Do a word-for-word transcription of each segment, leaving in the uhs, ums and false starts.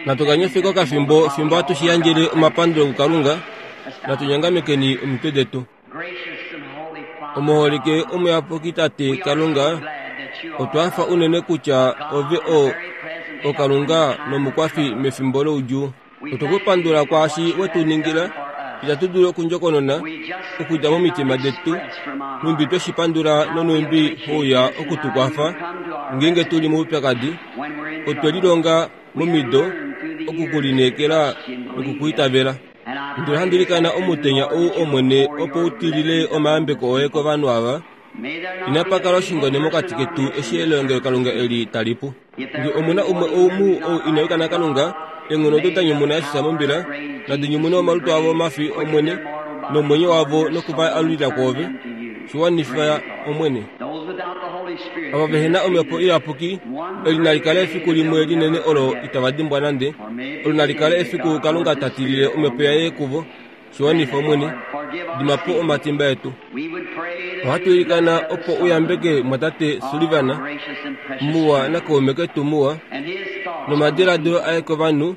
Natu kanyefeko okafimbo fimbo hatu shi yandjele omapandulo kuKalunga. Natu nyongamekeni omitwe detu. Omuholike omuyapuki Tate Kalunga, otwa hafa unene kutya ove o oKalunga nomukwafi mefimbo loudjuu. Otwe ku pandula kwaashi we tu ningila, itatu dulu okundjokonona okudja momitima detu, nhumbi twe shi pandula nonhumbi houya oku tu kwafa ngeenge tu li moupyakadi. Otwe lilonga momido oku ku lineekela noku ku itavela. Ndele ohandi ilikana omutenya ou Omwene opo u tilile omayambeko oye kovanhu ava. Inapa kala oshingone mokati ketu eshi elongelokalunga eli tali pu. Nge omuna umwe ou mu ou ina yuka naKalunga, eenghono odo da nyumuna Jesus mombila, nadi nyumune omalutu avo omafi Omwene nomwenyo wavo noku va alulila kwoove. Shi wanifa Omwene. Ava vehe na Omhepo Iyapuki, eli nali kale efiku limwe linene olo itava dimbwa nande. Olo nali kale efiku Kalunga ta tilile Omhepo yaye kuvo. Shi wanifa Omwene. Dima po omatimba etu. Ohatu ilikana opo u yambeke mwatate Sullivan muwa nakaume ketu muwa nomadiladilo aye kovanhu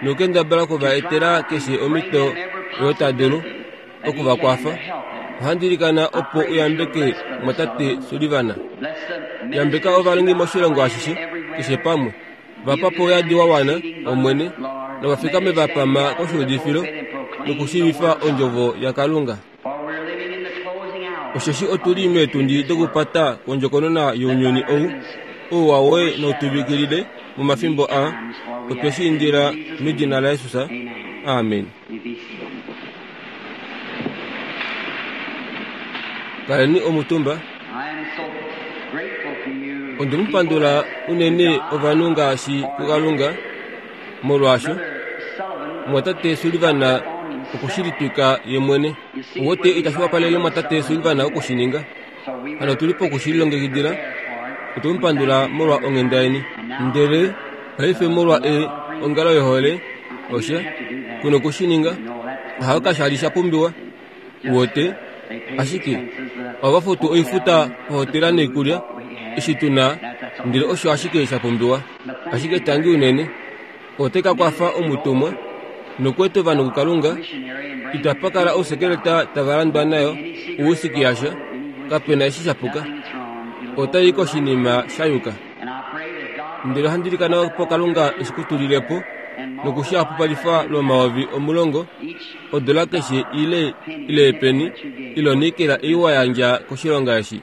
nokukendabala okuva etela keshe omhito oyo ta dulu oku va kwafa. Ohandi ilikana opo u yambeke mwatate Sullivan. Yambeka ovalongi moshilongo ashishe, keshe pamwe. Va pa po ouyadi wa wana, Omwene, nova fikame va pama koshuudifilo nokushiivifa ondjovo yaKalunga. Osheshi otu li meetundi dokupata kwondjokonona younyuni ou, ouwa woye nau tuvikilile momafimbo aa. Otwe shi indila medina laJesus. Amen. Kaleni omutumba. Onde mu pandula unene ovanhu ngaashi kuKalunga, molwaasho mwatate Sullivan oku shi litwika ye mwene. Owote itashi wapalele mwatate Sullivan oku shi ninga. Hano otu li poku shi lilongekidila. Otwe mu pandula molwa onghenda yeni. Ndele paife molwa e ongalo yohole, osha ku noku shi ninga. Ohayo kasha li sha pumbiwa. Wote, ashike ohava futu oifuta ohotela noikulya eshi tu na, ndele osho ashike sha pumbiwa. Ashike tangi unene, ote ka kwafa omutumwa nokweeta ovanhu kuKalunga. Itapa kala ousekeleta tava landwa nayo ouwhisky yasha, kape na eshi sha puka. Otai koshinima sha yuka. Ndele ohandi ilikana opo Kalunga eshi ku tulile po noku shi hapupalifa lwomayovi omulongo odola keshe ile ile epeni ile onikela ei wa yandja koshilonga eshi.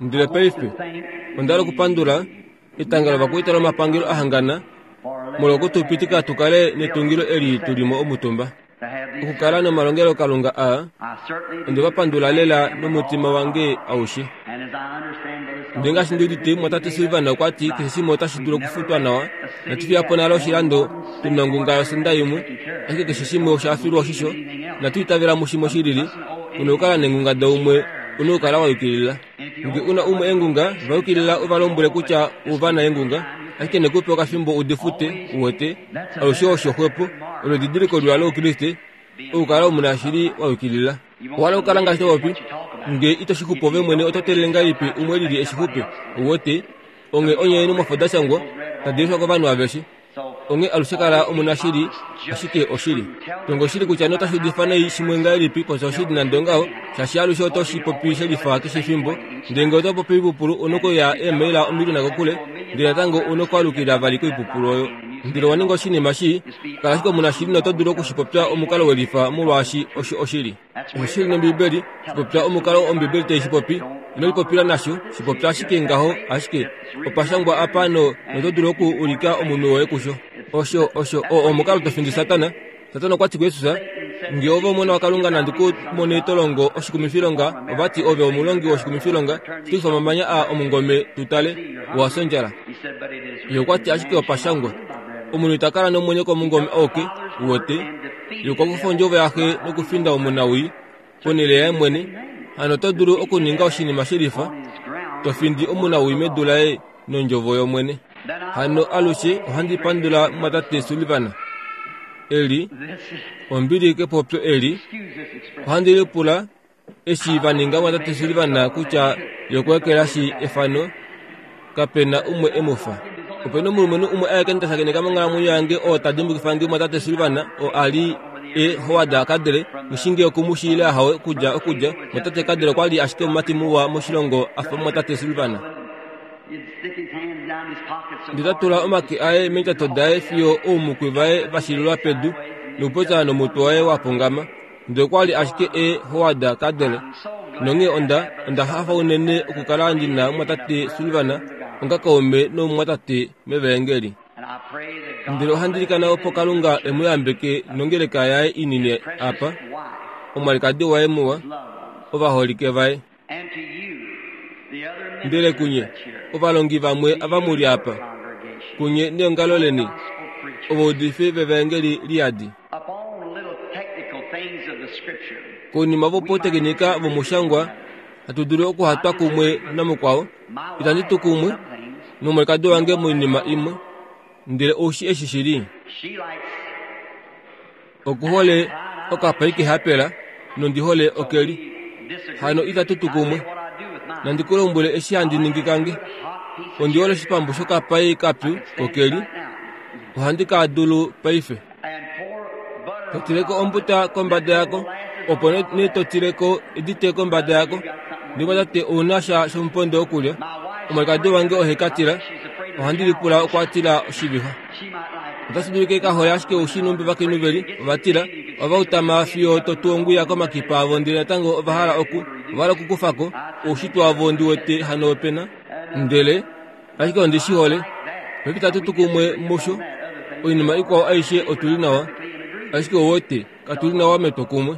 Ndele paife onda hala okupandula etanga lovakwaita lomapangelo a hangana molwa okutupitika tu kale netungilo eli tu li mo omutumba. Okukala nomalongelokalunga aa, onde va pandula lela nomutima wange aushe. Ndele ngaashi ndi udite, mwatate Sullivan okwa ti keshe shimwe otashi dulu okufutwa nawa. Inatu fiya po nale oshilando tu na ongunga yosenda imwe, ashike keshe shimwe osha filwa oshisho. Inatu itavela mushimwe shilili. U na okukala neengunga daumwe, u na okukala wa yukilila. Nge u na umwe eengunga, va yukilila u va lombwele kutya u va na eengunga, ashike ne ku pe okafimbo u di fute, u wete. Alushe osho xwepo, olo edidiliko liwa lOukriste, okukala omunashili wa yukilila. Owa hala okukala ngaashi to popi, nge ito shi xupu ove mwene oto teelele ngahelipi umwe lili eshi xupe, u wete. Onghee onye eenhumwafo da shangwa tadi leshwa kovanhu aveshe. Onghee alushe kala omunashili, ashike oshili. Tonga oshili kutya notashi udifa nai shimwe ngahelipi popya oshili nande ongaho, shaashi alushe oto shi popi shelifa keshe efimbo. Ndele ngee oto popi oipupulu u nokuya eemaila omiliona kokule, ndele natango u nokwaalukila vali koipupulu oyo. Ndele owa ninga oshinima shii, kala ashike omunashili noto dulu oku shi popya omukalo welifa molwaashi osho oshili. Osho shili nOmbibeli, shi popya omukalo Ombibeli tai shi popi, ino lipopila nasho, shi popya ashike ngaho, ashike opa shangwa apa no noto dulu oku ulika omunhu woye kusho. Osho, osho oo omukalo to findi Satana. Satana okwa ti kuJesus, nge ove omona waKalunga nandi ku mone to longo oshikumifilonga, ova ti ove omulongi woshikumifilonga, shitukifa omamanya aa omungome tu tale, owa fya ondjala. Ye okwa ti ashike opa shangwa, omunhu ita kala nomwenyo komungome auke, u wete. Ye okwa kufa ondjovo yaxe nokufinda omunawii ponhele yaye mwene. Hano oto dulu okuninga oshinima shelifa, to findi omunawii medu laye nondjovo yOmwene. Hano alushe ohandi pandula mumwatate Sullivan. Eli, ombili kepopyo eli, ohandi lipula eshi va ninga mwatate Sullivan kutya ye okwa ekelashi efano, kape na umwe e mu fa. Ope na omulumenhu umwe aeke nda shakeneka monghalamwenyo yange oo ta dimbukifa nge mumwatate Sullivan, oo a li e Howard Cadle, nghishinge okumushiile ahawe okudja okudja. Mumwatate Cadle okwa li ashike omumati muwa moshilongo a fa mumwatate Sullivan. Ndele ta tula omake aye meendjato daye fiyo oumukwi vaye va shilulwa pedu nokupopya nomutwe waye wa pungama. Ndele okwa li ashike e Howard Cadle. Nonghee onda onda hafa unene okukala ndi na mumwatate Sullivan onga kaume nomumwatate mevaengeli. Ndele ohandi ilikana opo Kalunga e mu yambeke nongeleka yaye inini apa, omwalikadi waye muwa, ovaholike vaye. Ndele kunye, ovalongi vamwe ava mu li apa, kunye neongalo leni, ovaudifi vevaengeli liyadi. Konima vopautekinika vomushangwa, hatu dulu okuhatwa kumwe namukwao, itandi tu kumwe nomwalikadi wange moinima imwe, ndele oushi eshi shili. Okuhole okapai kehapela, nondi hole okeli. Hano itatu tu kumwe. Nandi ku lombwele eshi handi ningi kange. Ondi hole oshipambu shokapai kapyu kokeli. Ohandi ka dulu paife. Totileko ombuta kombada yako, opo ne totileko edite kombada yako. Ndele tate ouna sha shomupondo okulya. Omwalikadi wange ohe ka tila. Ohandi lipula okwa tila oshivixa. Otashi dulika ka hole ashike oushi numbi vakainhu veli ovatila ova utama fiyo to ongwiya komakipa avo, ndele natango ova hala oku ova hala okukufako oushitwe wavo ndi wete hano opena. Ndele ashike ondi shi hole. Paife itatu tu kumwe musho. Oinima ikwao aishe otuli nawa, ashike ouwete katuli nawa metwokumwe.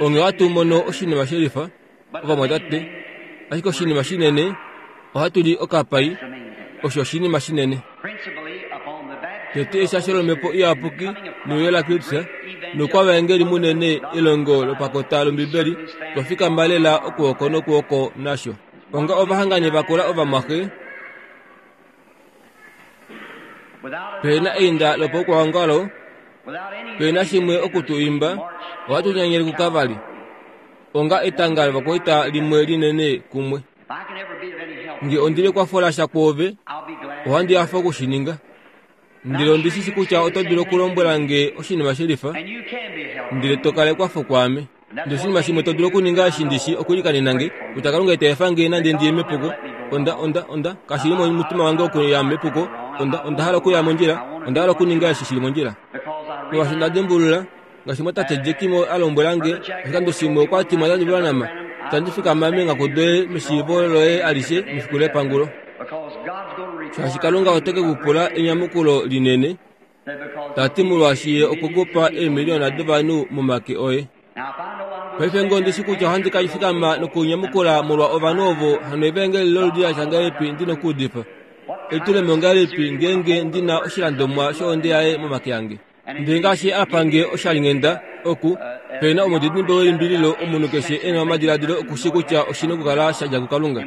Onghee ohatu mono oshinima shelifa ovamwatate, ashike oshinima shinene ohatu li okapai, osho oshinima shinene. Tete eshasho lomhepo iyapuki neuyo laKristus nokwavaengeli munene elongo lopakota lOmbibeli, twa fikama lela okwooko nokwooko nasho. Onga ovahangani vakula ovamwaxe, pena einda lopaukwaongalo, pena shimwe okutu imba, ohatu nyanyele kukavali. Onga etanga lovakwaita limwe linene kumwe. Nge ondili ekwafola sha kwoove, ohandi hafa okushininga. Ndele ondi shi shi kutya oto dulu okulombwela nge oshinima shelifa, ndele to kala ekwafo kwaame. Ndele oshinima shimwe to dulu okuninga eshi ndi shi okuilikanena nge, kutya Kalunga ita efa nge nande ndiye mepuko. Onda, onda, onda, kashi li momutima wange okuya mepuko. Onda, onda hala okuya mondjila, onda hala okuninga eshi shili mondjila. Molwaashi onda dimbulula, ngaashi mwatate Jekimo a lombwela nge, oshikando shimwe okwa ti mwatate Branham, itandi fikama meenghaku doye meshiivo loye alishe mefiku lepangulo. Shaashi Kalunga ote ke ku pula enyamukulo linene, ta ti molwaashi ye okwe ku pa eemiliyona dovanhu momake oye. Paife ngee ondi shi kutya ohandi ka fikama nokunyamukula molwa ovanhu ovo, hano evaengeli loludi la tya ngahelipi ndi nokuudifa? Elitulemo ongahelipi ngeenge ndi na oshilandomwa shohonde yaye momake ange? Ndele ngaashi a pa nge oshalinghenda oku, pena omudidimbe welimbililo, omunhu keshe e na omadiladilo okushi kutya oshi nokukala sha dja kuKalunga.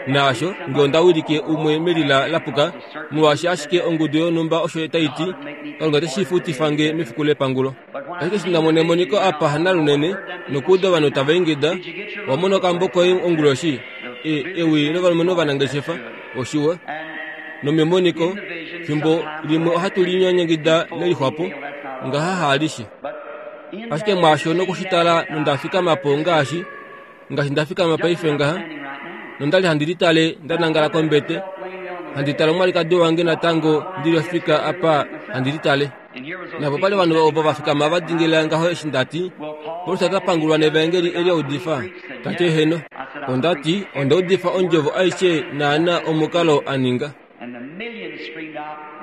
Naasho nge onda wilike umwe melila lapuka, molwaashi ashike ongudu yonhumba osho tai ti, Kalunga ote shi futifa nge mefiku lepangulo. Ashike eshi nda mona emoniko apa hanalunene, nokuuda ovanhu tava ingida, owa mona okambo koye onguloshi, e, ewi lovalumenhu ovanangeshefa, oshiwa. Nomemoniko, fimbo limwe ohatu linyanyangida lelixwapo, ngaha haalishe. Ashike mwaasho nokushitala nonda fikama po ngaashi, ngaashi nda fikama paife ngaha, nonda li handi litale nda nangala kombete, handi tale omwalikadi wange natango ndi li ofika apa handi litale. Napo pali ovanhu ovo va fikama va dingilila ngaho eshi nda ti, Paulus ota pangulwa nevaengeli eli audifa? Ta ti eheno. Onda ti, onda udifa ondjovo aishe naana omukalo a ninga.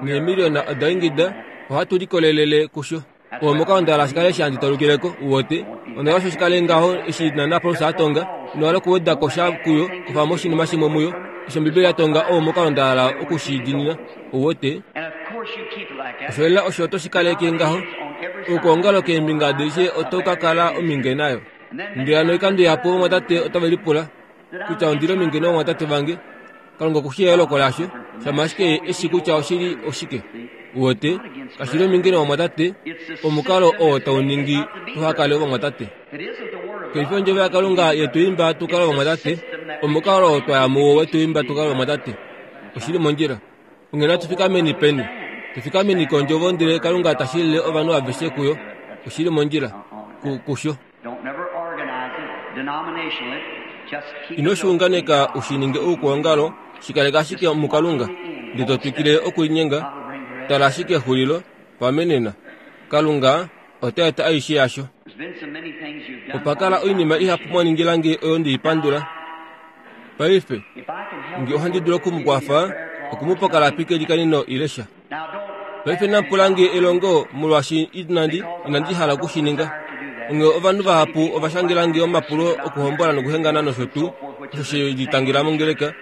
Neemiliona oda ingida, ohatu likolelele kusho. Omukalo onda hala shikale eshi handi tolukileko, uwote. Onda hala osho shikale ngaho eshi naana Paulus a tonga, ino hala okuweda ko sha kuyo, kufa mo oshinima shimwe muyo. Eshi Ombibeli ya tonga, oo omukalo nda hala oku shi diinina, uwote. Osho lela osho oto shi kaleke ngaho. Okwoongalo keembinga adishe oto ka kala ominge nayo. Ndele hano oikando ihapu ovamwatate otave lipula kutya ondi li ominge novamwatate vange. Kalunga oku shii eyooloko lasho, shama ashike eshi kutya oshili oshike. Uwote, kashi li ominge novamwatate, omukalo oo tau ningi tuha kale ovamwatate. Kaifi ondjovo yaKalunga yetu imba tu kale ovamwatate, omukalo oo twa ya muwo wetu imba tu kale ovamwatate. Oshili mondjila. Onghee natu fikameni peni? Tufikameni kondjovo ndele Kalunga ta shilile ovanhu aveshe kuyo. Oshili mondjila kusho. Ino shi unganeka u shi ninge oukwaongalo, shi kaleka ashike muKalunga, ndele to twikile okulinyenga. Tala ashike exulilo, pamenena. Kalunga ota eta aishe yasho. Opa kala oinima ihapu mwa ningila nge oyo ndeipandula. Paife, nge ohandi dulu okumukwafa, okumupa okalapi kelikanino ile sha. Paife namupula nge elongo molwaashi inandi inandi hala oku shi ninga. Onghee ovanhu vahapu ova shangela nge omapulo okuhombola nokuhengana nosho tuu, osho she litangela mongeleka.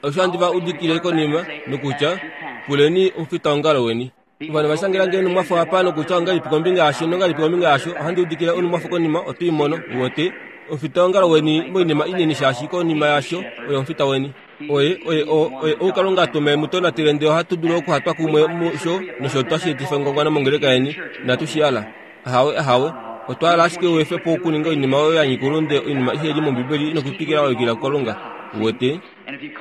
Osho handi va udikile konima nokutya, puleni omufitaongalo weni. Ovanhu va shangela nge onumwafo apa nokutya ongahelipi kombinga yasho nongahelipi kombinga yasho, ohandi udikile onumwafo konima oto i mono, uwete. Omufitaongalo weni moinima inini shaashi konima yasho oye omufita weni. Oye, oye, o, oye ou Kalunga a tuma e mu tonatele ndele ohatu dulu okuhatwa kumwe musho nosho tashi etifa engwangwano mongeleka yeni. Inatu shi hala. Ahawe, ahawe. Otwa hala ashike u efe po okuninga oinima oyo ya nyika oulunde, oinima ihe li mOmbibeli nokutwikila wa yukila kuKalunga. Uwete?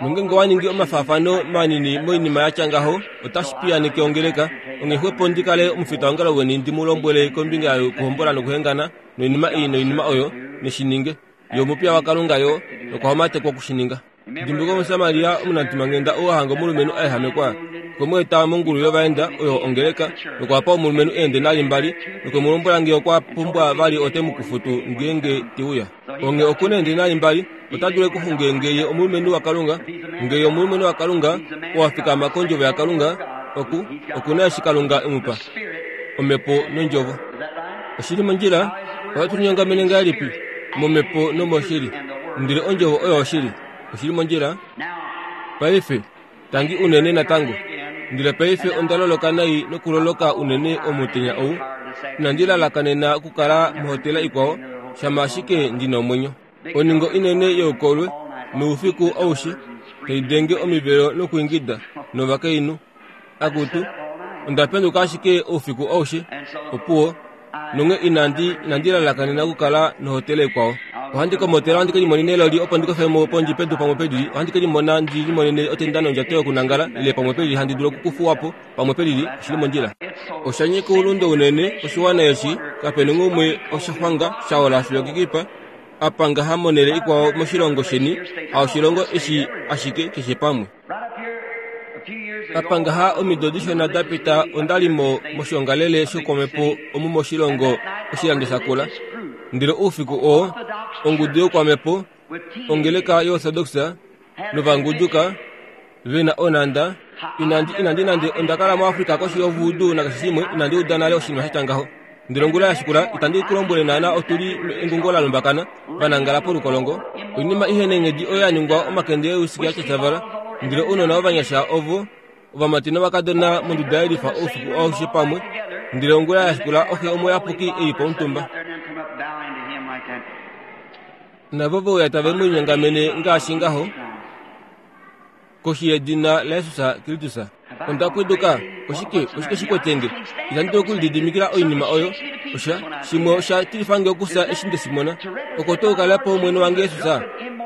Nongeenge owa ningi omafaafano manini moinima ya tya ngaho, otashi piyaaneke ongeleka. Onghee xwepo ndi kale omufitaongalo weni ndi mu lombwele kombinga yokuhombola nokuhengana noinima ei noinima oyo, neshi ninge. Ye omupiya waKalunga yo, nokwa homatekwa oku shi ninga. Dimbuluka Omusamaria omunamutimanghenda ou a hanga omulumenhu a ehamekwa, okwe mu eta mongulu yovaenda oyo ongeleka, nokwa pa omulumenhu eendenari mbali, nokwe mu lombwela ngee okwa pumbwa vali ote mu kufutu ngeenge te uya. Onghee oku na eendenari mbali, ota dulu ekuxunge ngee ye omulumenhu waKalunga, ngee ye omulumenhu waKalunga, oo a fikama kondjovo yaKalunga, oku, oku na eshi Kalunga e mu pa, Omhepo nondjovo. Oshili mondjila, ohatu linyongamene ngahelipi? Momhepo nomoshili. Ndele ondjovo oyo oshili. Oshili mondjila. Paife, tangi unene natango. Ndele paife onda loloka nai nokuloloka unene omutenya ou. Inandi lalakanena okukala mohotela ikwao, shama ashike ndi na omwenyo. Oningo inene youkolwe, noufiku aushe, tai denge omivelo nokuingida, novakainhu. Akutu, onda penduka ashike oufiku aushe, opuwo, nonghee inandi inandi lalakanena okukala nohotela ikwao. Ohandi komotela ohandi ke limonene eloli opo ndi kofe mo pondje pedu pamwe pelili, ohandi ke limona ndi limonene otenda nondjato yokunangala, ile pamwe pelili handi dulu okukufuwa po, pamwe pelili, oshi li mondjila. Osha nyika oulunde unene oshiwana eshi, kape nonghumwe osha xwanga sha ola fiyo kekipa, apa ngaha monhele ikwao moshilongo sheni, haoshilongo eshi ashike keshe pamwe. Apa ngaha omido dishona da pita onda li mo moshiongalele shokwamhepo omu moshilongo oshilando shakula. Ndele oufiku oo, ongudu yokwamhepo, ongeleka yoOrthodox novanguduka ve na onhanda, inandi inandi nande onda kala muAfrika koshi yovudu nakeshe shimwe, inandi uda nale oshinima sha tya ngaho. Ndele ongula ya shikula, itandi ku lombwele naana otu li engungo la lumbakana, va nangala polukolongo. Oinima ihe neenghedi oyo ya ningwa omakende eusiki a tyatyavala. Ndele ounona ovanyasha ovo, ovamati novakadona monduda yelifa oufiku aushe pamwe. Ndele ongula ya shikula oxe omuyapuki e li pomutumba. Navo ve uya tave mu linyongamene ngaashi ngaho, koshi yedina laJesus Kristus. Onda pwiduka, oshike, oshike shi kwete nge? Itandi dulu okulididimikila oinima oyo. Osha, shimwe osha tilifa nge okufya eshi nde shi mona. Oko tuu kala po Omwene wange Jesus,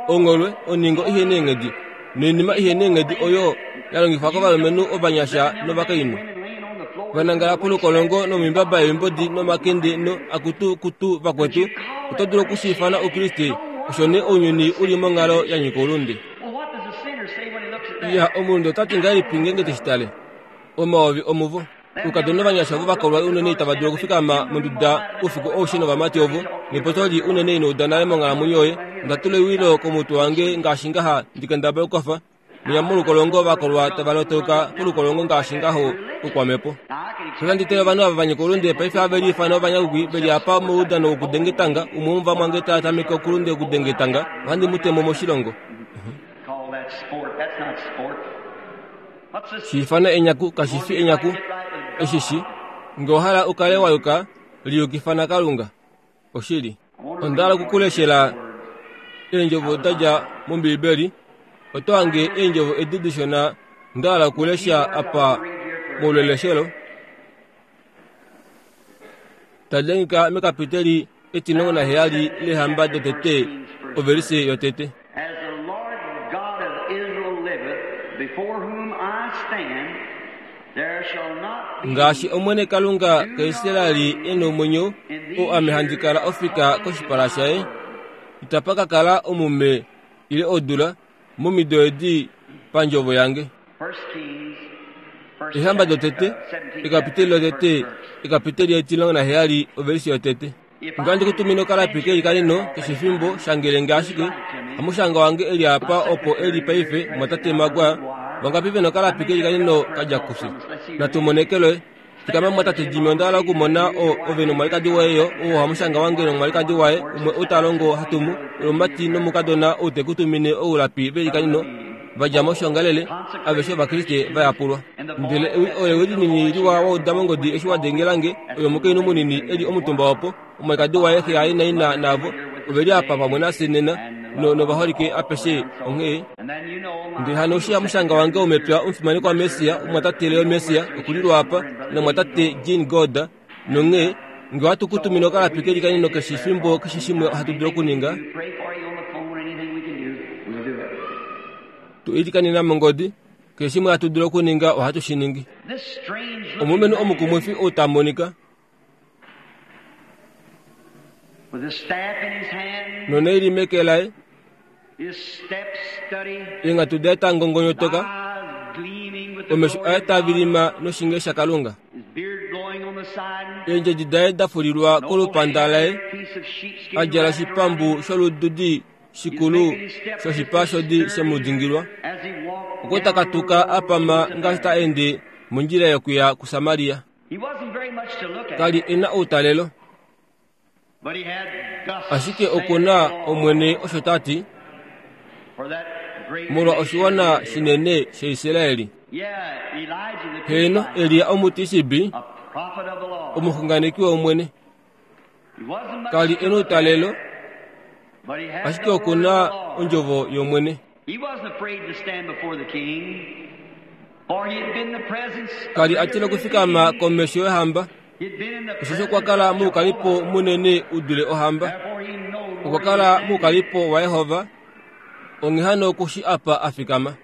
ongholwe, oningo ihe neenghedi, noinima ihe neenghedi oyo ya longifwa kovalumenhu ovanyasha novakainhu. Va nangala polukolongo nomimbaba yoimbodi nomakende no akutu kutu vakwetu, oto dulu oku shi ifana Oukriste, osho nee ounyuni u li monghalo ya nyika oulunde. Ya, omulunde ota ti ngahelipi ngeenge te shi tale? Omayovi omuvo. Oukadona ovanyasha ovo va kolwa unene itava dulu okufikama monduda oufiku aushe novamati ovo, nepotyo li unene ino uda nale monghalamwenyo yoye. Onda tula ewilo komutwe wange ngaashi ngaha ndi kendabala okukofa. Mwinya molukolongo va kolwa tava lotauka polukolongo ngaashi ngaho oukwamhepo. Ohandi tale ovanhu ava va nyika oulunde paife have liifana ovanyakukwi ve li apa moudano wokudenga etanga, umwe womuvamwange ta tameke okulunde okudenga etanga, ohandi mu te mo moshilongo. Shi ifana enyaku, kashi fi enyaku. Eshi shi, nge owa hala u kale wa yuka, liyukifa naKalunga. Oshili. Onda hala oku ku leshela eendjovo da dja mOmbiibeli. Oto hange eendjovo edi dishona nda hala okulesha apa molweleshelo. Tadi hangika mekapiteli etimulongo naheyali lEehamba dotete, ovelise yotete. As the Lord God of Israel liveth, before whom I Ngaashi Omwene Kalunga kaIsraeli e nomwenyo, oo ame handi kala ofika koshipala shaye, itapa ka kala omume ile odula momido edi pandjovo yange. Eehamba dotete, ekapiteli lotete, ekapiteli etimulongo naheyali ovelise yotete. Ngandi kutumine okalapi keli kanino keshe efimbo shangelenge ashike hamushanga wange eli apa opo eli paife mwatate Magwa vangapi vena okalapi keli kanino kadja kufye. Natumonekelwe fikama mwatate Jimmy onda hala okumona o ove nomwalikadi waye yo oo hamushanga wange nomwalikadi waye umwe ou ta longo hatumu omumati nomukadona ou tekutumine oulapi veli kanino vadja moshongalele aveshe ovakriste vayapulwa. Ndele oyo ewi linini liwa wauda mongodi eshi wadengelange oyo omukainhu munini eli omutumba opo omwalikadi waye xe yaye naina navo oveli apa pamwe nafye nena novaholike apeshe onghee. Ndele hano eshi hamushanga wange womepya omufimanekwa Messia omwatate Leo Messia okulilwa apa namwatate Jean Goda nonghee nge ohatu kutumine okalapi keli kanino keshe efimbo keshe shimwe ohatu dulu okuninga tu ilikanena mongodi keshe shimwe hatu dulu okuninga ohatu shi ningi. Omulumenhu omukumwifi ou ta monika noneili meke laye, eenghatu daye ta ngongonyotoka, omesho aye taa vilima noshinge shaKalunga, eendjedi daye da fulilwa kolupanda laye, a djala oshipambu sholududi shikulu shoshipa shodi shemudingilwa, okwe ta katuka a pama ngaashi ta ende mondjila yokuya kuSamaria. Kali e na outalelo, ashike oku na Omwene osho ta ti molwa oshiwana shinene shaIsraeli. Heeno, Elia Omutisibi, omuxunganeki wOmwene, kali e na outalelo, ashike oku na ondjovo yOmwene. Kali a tila okufikama komesho yohamba, osheshi okwa kala moukalipo munene u dule ohamba. Okwa kala moukalipo waJehova, onghee hano okushi apa a fikama.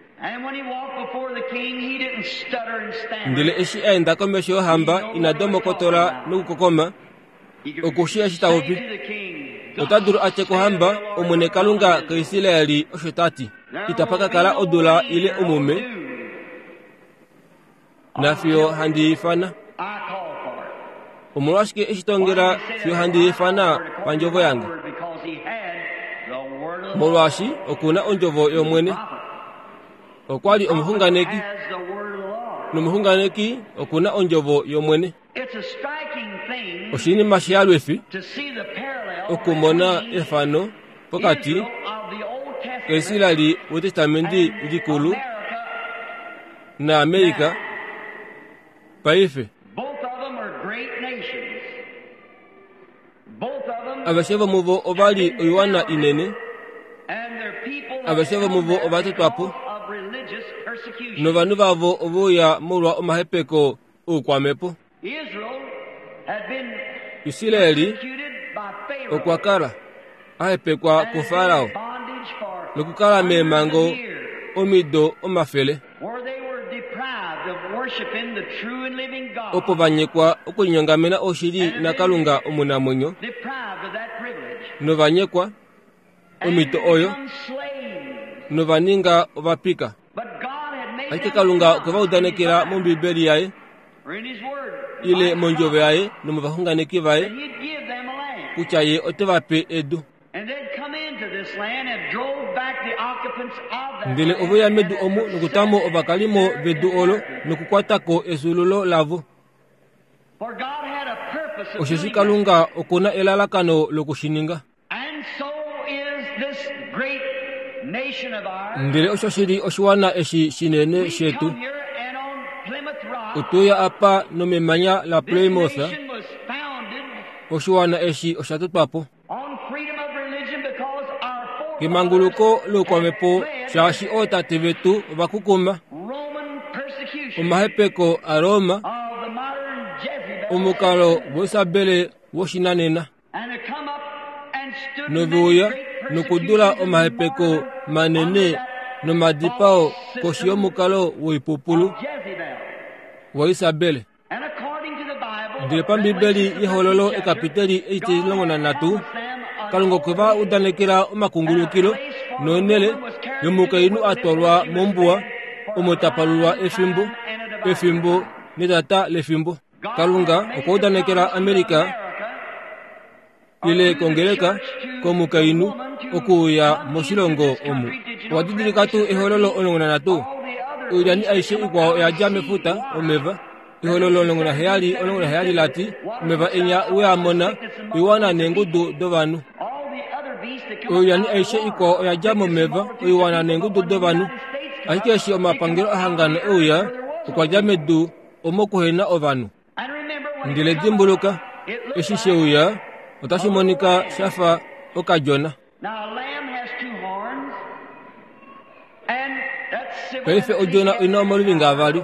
Ndele eshi a enda komesho yohamba ina domokotola nokukokoma, okushi eshi ta popi. Ota dulu a tye kohamba, Omwene Kalunga kaIsraeli osho ta ti, itapa ka kala odula ile omume, nafiyo handi ifana. Omolwashike eshi tongela fiyo handi ifana pandjovo yange? Molwaashi oku na ondjovo yOmwene. Okwa li omuxunganeki, nomuxunganeki oku na ondjovo yOmwene. Oshinima shiyalwifi okumona efano pokati kaIsraeli wEtestamenti Likulu naAmerika paife. Aveshe vomuvo ova li oiwana inene, aveshe vomuvo ova totwa po, novanhu vavo ove uya molwa omahepeko oukwamhepo. Israeli okwa kala a hepekwa kuFarao nokukala meemhango omido omafele, opo va nyekwa okulinyongamena oshili naKalunga omunamwenyo, nova nyekwa omhito oyo nova ninga ovapika. Ashike Kalunga okwe va udanekela mOmbibeli yaye ile mondjovo yaye nomovaxunganeki vaye kutya ye ote va pe edu. Ndele ove uya medu omu nokutamo ovakalimo vedu olo nokukwata ko efyuululo lavo. Osheshi Kalunga oku na elalakano loku shi ninga. Ndele osho shili oshiwana eshi shinene shetu. Otuya apa nomemanya la Plymouth, oshiwana eshi osha totwa po kemanguluko loukwamhepo, shaashi ootate vetu ova kukuma omahepeko aRoma, omukalo woIsabele woshinanena, nove uya nokudula omahepeko manene Nomadipao koshi yomukalo woipupulu waIsabele. Ndele pambibeli yehololo ekapiteli etimulongo nanhatu Kalunga okwe va udanekela omakungulukilo nonhele yomukainhu a twalwa mombuwa omo tapalulwa efimbo efimbo netata lefimbo. Kalunga okwa udanekela Amerika ile kongeleka komukainhu okuuya moshilongo omu. Owa didilika tuu ehololo omulongo nanhatu? Oilyani aishe ikwao oya dja mefuta omeva. Ehololo omulongo naheyali omulongo naheyali lati omeva enya we a mona oiwana neengudu dovanhu. Oilyani aishe ikwao oya dja momeva oiwana neengudu dovanhu. Ashike eshi omapangelo ahangana euya okwa dja medu omo kuhena ovanhu. Ndele dimbuluka, eshi sheuya otashi monika shafa okadjona. Paife odjona oina omaluvinga avali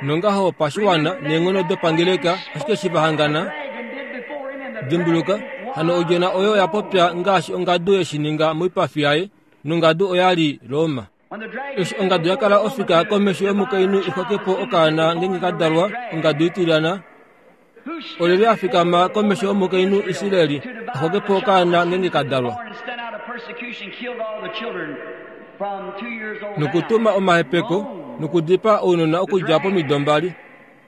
nongaho pashiwana neenghono dopangeleka ashike eshi vahangana. Dimbuluka, hano odjona oyo oya popya ngaashi ongadu yeshininga moipafi yaye nongadu oyali Roma. Eshi ongadu yakala ofika komesho yomukainhu ixwakepo okaana ngeenge kadalwa ongadu itilyana. Olyelye a fikama komesho yomukainhu Israeli axwakepo okaana ngeenge kadalwa. Nokutuma omahepeko nokudipaa ounona okudja pomido mbali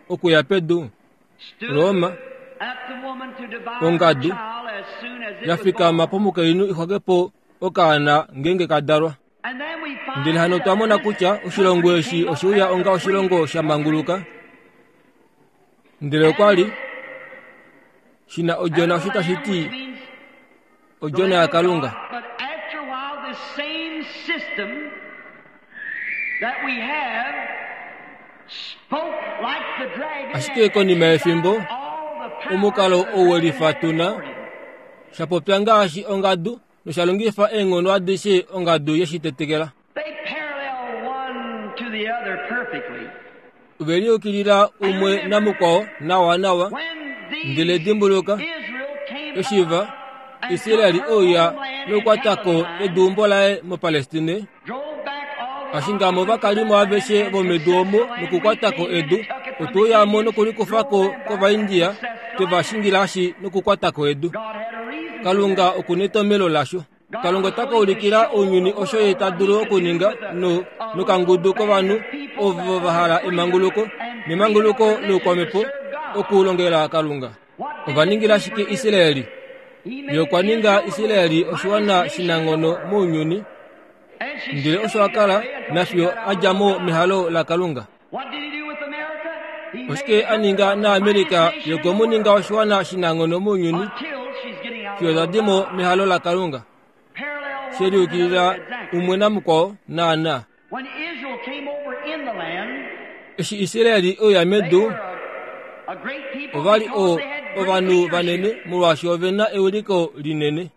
okuya pedu. Roma ongadu ya fikama pomukainhu ixwakepo okaana ngeenge kadalwa. Ndele hano otwa mona kutya oshilongo eshi oshe uya onga oshilongo sha manguluka. Ndele okwa li shina odjona osho tashi ti odjona yaKalunga. Ashike konima yefimbo omukalo ou welifa tuna sha popya ngaashi ongadu nosha longifa eenghono adishe ongadu yeshitetekela. Ove liukilila umwe namukwao nawa nawa. Ndele dimbuluka, eshi va Israeli ouya nokukwatako eduumbo laye moPalestine, ashingamo ovakalimo aveshe vomedu omo nokukwatako edu, otwe uyamo nokulikufako kOvaindia twe va shingilashi nokukwatako edu. Kalunga oku netomhelo lasho. Kalunga ota ka ulikila ounyuni osho ye ta dulu okuninga no nokangudu kovanhu ovo va hala emanguluko nemanguluko loukwamhepo okulongela Kalunga. Ova ningila shike Israeli? Ye okwa ninga Israeli oshiwana shinanghono mounyuni, ndele osho a kala nafiyo a dja mo mehalo laKalunga. Oshike a ninga naAmerika? Ye okwe mu ninga oshiwana shinanghono mounyuni fiyo ta di mo mehalo laKalunga. She liukilila umwe namukwao naana. Eshi Israeli ouya medu, ova li o ovanhu vanene molwaashi ove na ewiliko linene.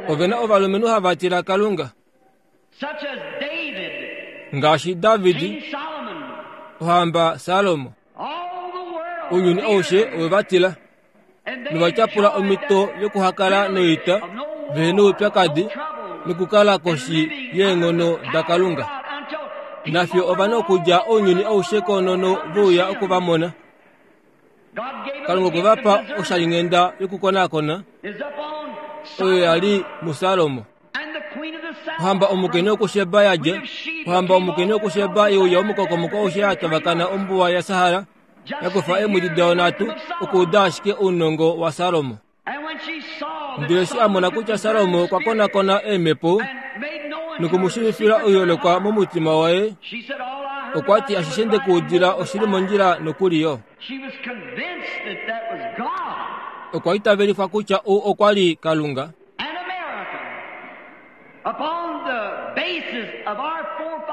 Ove na ovalumenhu hava tila Kalunga ngaashi David, ohamba Salomo. Ounyuni aushe owe va tila novatyapula omhito yokuhakala noita vehe noupyakadi nokukala koshi yeenghono daKalunga. Nafyo ova na okudja ounyuni aushe koonono vouya oku va mona. Kalunga okwe va pa oshalinghenda yokukonakona oyo ya li muSalomo. Ohamba omukainhu wokuSheba ya dja, ohamba omukainhu wokuSheba yeuya omukokomoko aushe ya tavakana ombuwa yaSahara, ya kufa eemwedi dayo nhatu okuuda ashike ounongo waSalomo. Ndele eshi a mona kutya Salomo okwa konakona eemhepo nokumushiivifila oiholekwa momutima waye, okwa ti ashishe nde ku udila oshili mondjila nokuli yo. Okwa itavelifwa kutya ou okwa li Kalunga.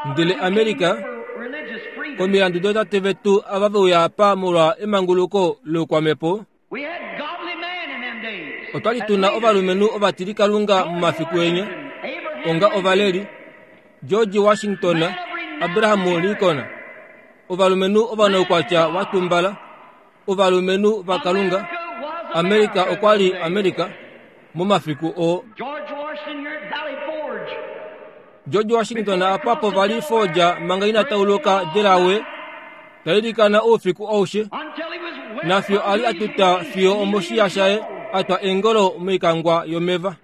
Ndele Amerika, komilandu dootate vetu ava veuya apa molwa emanguluko loukwamhepo, otwa li tuna ovalumenhu ovatilikalunga momafiku enya, onga ovaleli George Washington, Abraham Lincoln, ovalumenhu ovanaukwatya wa tumbala, ovalumenhu vaKalunga. Amerika okwa li Amerika momafiku oo. George Washington apa povali Forja manga ina tauluka Delaware tailikana oufiku aushe nafiyo ali atuta fiyo omoshiya shaye atwa engolo moikangwa yomeva.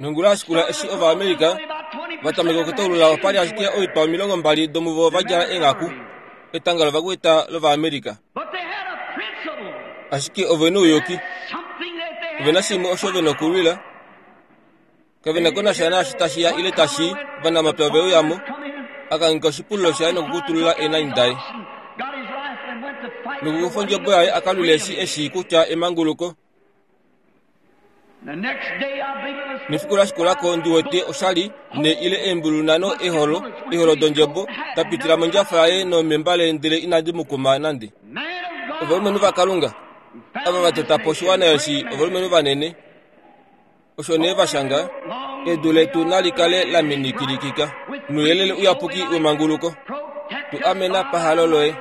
Nongula ashikula eshi Ovaamerica vatameka okutaulula opali ashike oitwa omilongo mbali domuvo vadjala enghaku etanga lovakwita lOvaamerica. Ashike ovena ouyuki, ovena shimwe osho vena okulwila, kavena ko nasha naashi tashiya ile tashi ovanamapya oveuyamo akangika oshipululo shaye nokukutulula eenani daye nokukufa ondjebo yaye akalwile eshi eshi kutya emanguluko. Nefiku lashikulako ndiwete oshali ne ile eembulu nhano eholo eholo dondjebo dapitila mondjafa yaye nomembale ndele inadi mukuma nande. Ovalumenhu vaKalunga ava vatota po oshiwana eshi ovalumenhu vanene osho nee vashanga edu letu nali kale la minikilikika nouyelele uyapuki wemanguluko tu amena pahalo loye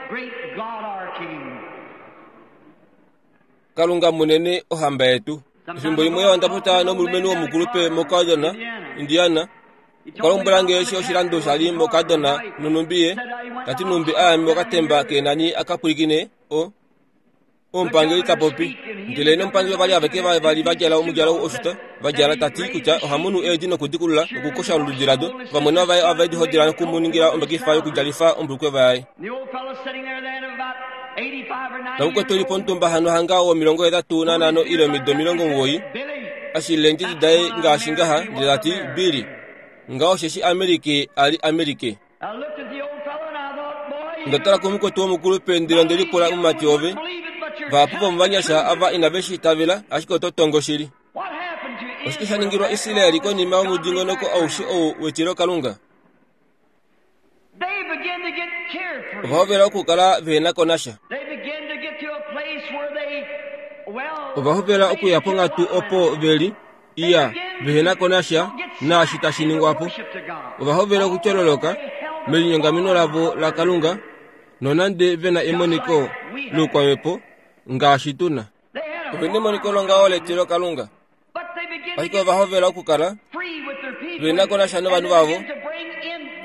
Kalunga munene ohamba yetu. Efimbo limwe onda popya nomulumenhu womukulupe moKadona, Indiana. Okwa lombwela nge eshi oshilando shali moKadona nonumbi ye tati numbi aame okatemba keenani akapwilikine o omupangeli tapopi. Ndele nomupangeli ovali aveke vavali vadjala omudjalo oshuta vadjala tati kutya ohamunu eedi nokudikulula nokukosha olududi lado. Vamwe vaye ove dihodila nokumuningila ombekifa yokudjalifa ombulukweva yaye. Namukwetu eli pomutumba hano hanga womilongo hetatu nanhano ile omido omilongo omugoyi ashilile eendjedi daye ngaashi ngaha ndele tati Billy ngaho osheshi Amerike ali Amerike. Onda tala komukwetu womukulupe ndele onde lipula mumati wove vahapu vomovanyasha ava inave shi itavela ashike oto tongo shili. Oshike sha ningilwa Israeli konima yomudingonoko aushe ou wetilokalunga? Ovahovela okukala vehena ko nasha. Ovahovela okuya ponghatu opo veli iya vehena ko nasha naashi tashi ningwa po. Ovahovela okutyololoka melinyongameno lavo laKalunga nonande vena emoniko loukwamhepo ngaashi tuna. Ovena emoniko longaho letilokalunga ashike ovahovela okukala vehena ko nasha novanhu vavo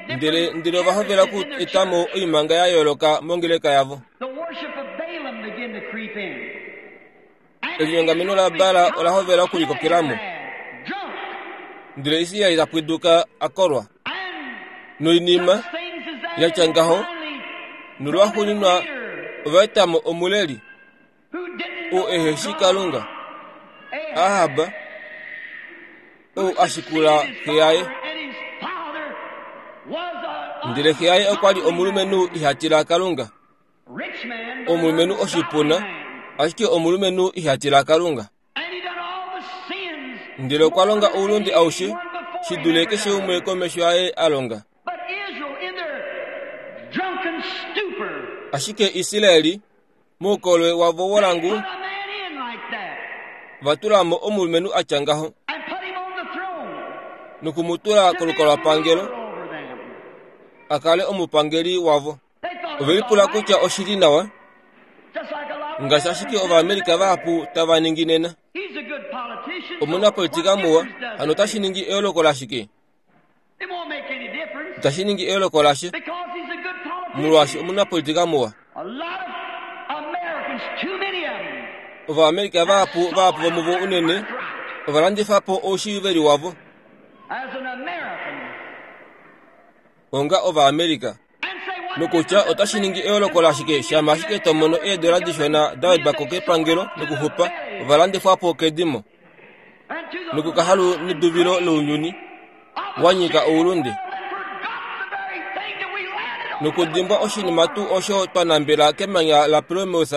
ndele ndele ovahovela okuetamo oimanga ya yooloka mongeleka yavo. Elinyongameno laBaal ola hovela okulikokelamo ndele Israel tapwiduka akolwa noinima yatya ngaho nolwaxuuninwa ovaetamo omuleli oo eheshi Kalunga Ahab ou ashikula xe yaye. Ndele xe yaye okwa li omulumenhu ihatila Kalunga, omulumenhu oshipuna, ashike omulumenhu ihatila Kalunga. Ndele okwa longa oulunde aushe shi dule keshe umwe komesho yaye a longa. Ashike Israeli moukolwe wavo wolangu vatulamo omulumenhu atya ngaho nokumutula kolukalwapangelo akale omupangeli wavo. Ovelipula kutya oshili nawa ngaashi ashike Ovaamerica vahapu tava ningi nena. Omunapolitika muwa hano otashi ningi eyooloko lashike? Itashi ningi eyooloko lashe molwaashi omunapolitika muwa. Ovaamerica vahapu vahapu vomuvo unene ovalandifa po oushiiveli wavo onga Ovaamerica nokutya otashi ningi eyooloko lashike shama ashike to mono eedola dishona da wedwa ko kepangelo nokuxupa ovalandifwa po kedimo nokukahalu neduvilo lounyuni wanyika oulunde nokudimbwa oshinima tuu osho twa nambela kemanya la Plymouth.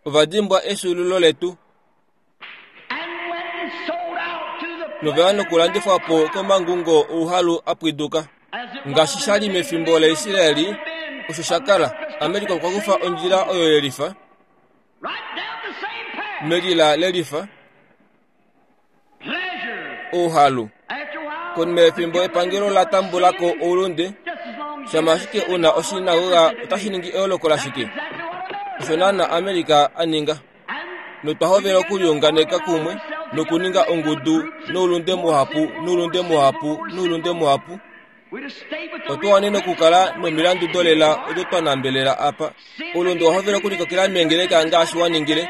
Ovadimbwa efyuululo letu noveya nokulandifwa po komangungo ouhalu apwiduka ngaashi shali mefimbo laIsraeli. Osho sha kala Amerika okwa kufa ondjila oyo yelifa melila lelifa ouhalu. Konima yefimbo epangelo la tambula ko oulunde shama ashike una oshinagoga otashi ningi eyooloko lashike? Osho naana Amerika a ninga notwa hovela okuliunganeka kumwe Nokuninga ongudu noulunde muhapu noulunde muhapu noulunde muhapu. Otwa wanene okukala nomilandu dolela odo twa nambelela apa. Oulunde owa hovela okulikokela meengeleka ngaashi wa ningile.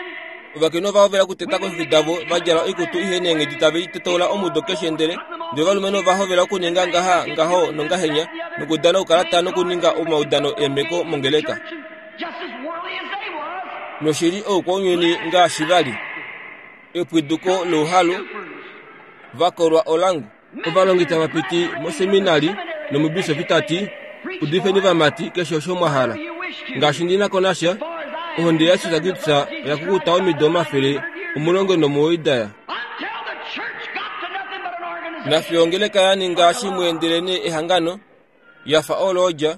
Ovakainhu ova hovela okuteta komifi davo va djala oikutu ihe neenghedi tave i tetoula omudo keshe ndele ndele ovalumenhu ova hovela okuninga ngaha ngaho nongahenya nokudana oukalata nokuninga omaudano eemeko mongeleka. Noshili oukwaunyuni ngaashi vali. Epwiduko louhalu vakolwa olangu. Ovalongi tava piti moseminari nomubisofi tati udifeni vamati keshe osho mwa hala. Ngaashi ndi na ko nasha, ohonde yaJesus Kristus oya kukuta omido omafele omulongo nomuwoi daya. Nafiyo ongeleka ya ninga shimwe ndelenee ehangano, ya fa oloodja.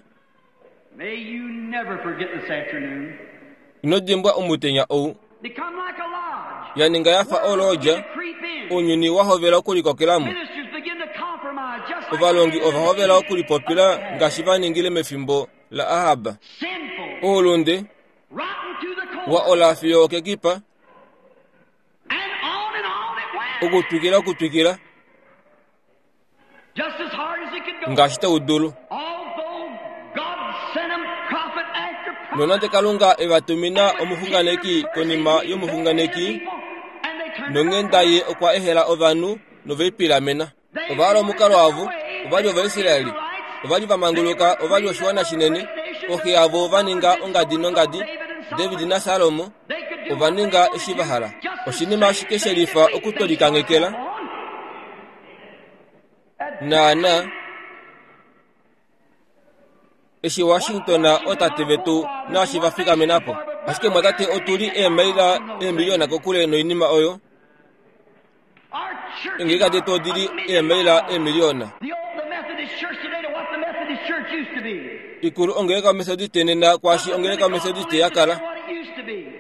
Ino dimbwa omutenya ou. Ya ninga ya fa oloodja, ounyuni wa hovela okulikokela mo. Ovalongi ova hovela okulipopila ngaashi va ningile mefimbo la Ahab. Oulunde wa ola fiyo okekipa, okutwikila okutwikila ngaashi tau dulu. Nonande Kalunga e va tumina omuxunganeki konima yomuxunganeki, nonghenda ye okwa ehela ovanhu noveipilamena. Ova hala omukalo wavo, ova li Ovaisraeli, ova li va manguluka, ova li oshiwana shinene. Oxe yavo va ninga ongadi nongadi, David naSalomo ova ninga eshi va hala. Oshinima ashike she lifa okutolikanghekela naana eshi Washington otate vetu naashi va fikamena po. Ashike mwatate otu li eemaila eemiliyona kokule noinima oyo. Engeleka detu odi li eemaila eemiliyona. Ikulu ongeleka yoMethodiste nena kwaashi ongeleka yoMethodiste ya kala.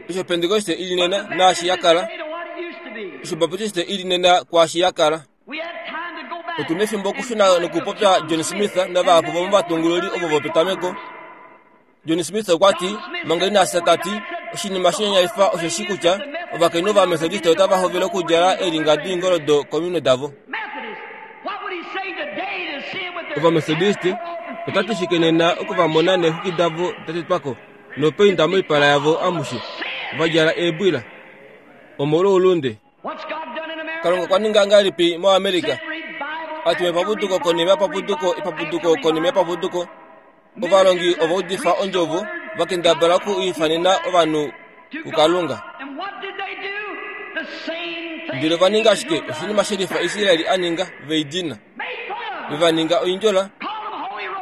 Osho Pentekoste ili nena naashi ya kala. Osho Baptiste ili nena kwaashi ya kala. Otu na efimbo okushuna nokupopya John Smith navahapu vomovatungululi ovo vopetameko. John Smith okwa ti, manga ina fya ta ti, oshinima shinyanyalifa osheshi kutya ovakainhu vaMethodiste otava hovele okudjala eelinga doingoldo kominwe davo. Ovamethodiste ota ti shike nena oku va mona neexwiki davo da tetwa ko nopainda moipala yavo amushe, va djala eebwila omolwoulunde. Kalunga okwa ninga ngahelipi moAmerica? A tuma epapuduko konima yepapuduko, epapuduko konima yepapuduko. Ovalongi ova udifa ondjovo, va kendabala oku ifanena ovanhu kuKalunga. Ndele ova ninga ashike oshinima shelifa Israel a ninga, ve i dina. Ve va ninga oindjola,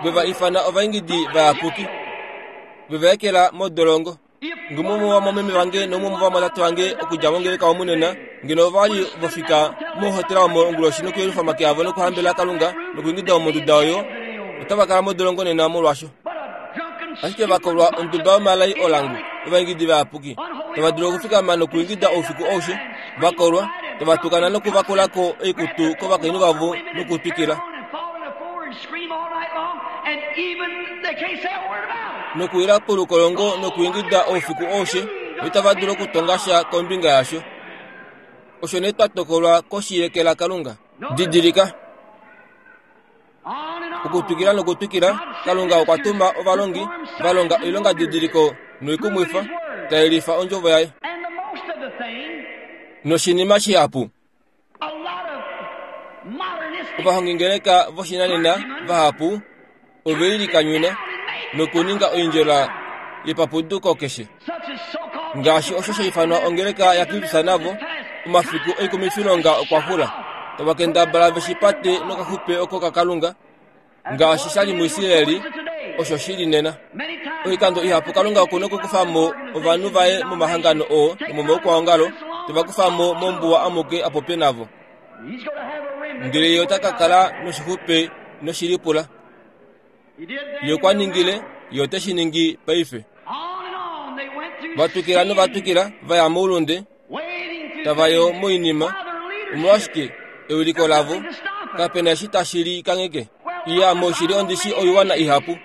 ve va ifana ovaingidi vayapuki, ve va ekela modolongo. Ngeno umwe womomeme vange noumwe womovamwatate vange okudja mongeleka omu nena, ngeno ova li vofika mohotela omo onguloshi nokuyelufa omake avo nokuhambelela Kalunga nokuingida omonduda oyo, otava kala modolongo nena molwasho. Ashike va kolwa onduba yomalai olangu, ovaingidi vayapuki, tava dulu okufikama nokuingida oufiku aushe, va kolwa, tava tukana nokuvakula ko oikutu kovakainhu vavo nokutwikila. Nokuwila polukolongo nokuingida oufiku aushe, noitava dulu okutonga sha kombinga yasho. Osho nee twa tokolwa koshi yeke laKalunga. Didilika. Okutwikila nokutwikila, Kalunga okwa tuma ovalongi va longa oilonga didiliko noikumwifa, ta yelifa ondjovo yaye. Noshinima shihapu, ovahongingeleka voshinanena vahapu ove lilikanyuna nokuninga oindjola yepapuduko keshe, ngaashi osho sha ifanwa ongeleka yaKristus navo. Omafiku oikumifilonga okwa xula, tava kendabala ve shi pate nokaxupe oko kaKalunga, ngaashi sha li muIsraeli, osho shi li nena. Oikando ihapu Kalunga oku nokukufa mo ovanhu vaye momahangano oo nomomaukwaongalo, te va kufa mo mombuwa amuke a popye navo. Ndele ye ota ka kala noshixupe noshilipula. Ye okwa ningile, ye ote shi ningi paife. Va twikila nova twikila, va ya moulunde, tava yo moinima. Omolwashike ewiliko lavo kape na eshi tashi li kangheke? Iya, moshili ondi shi oiwana ihapu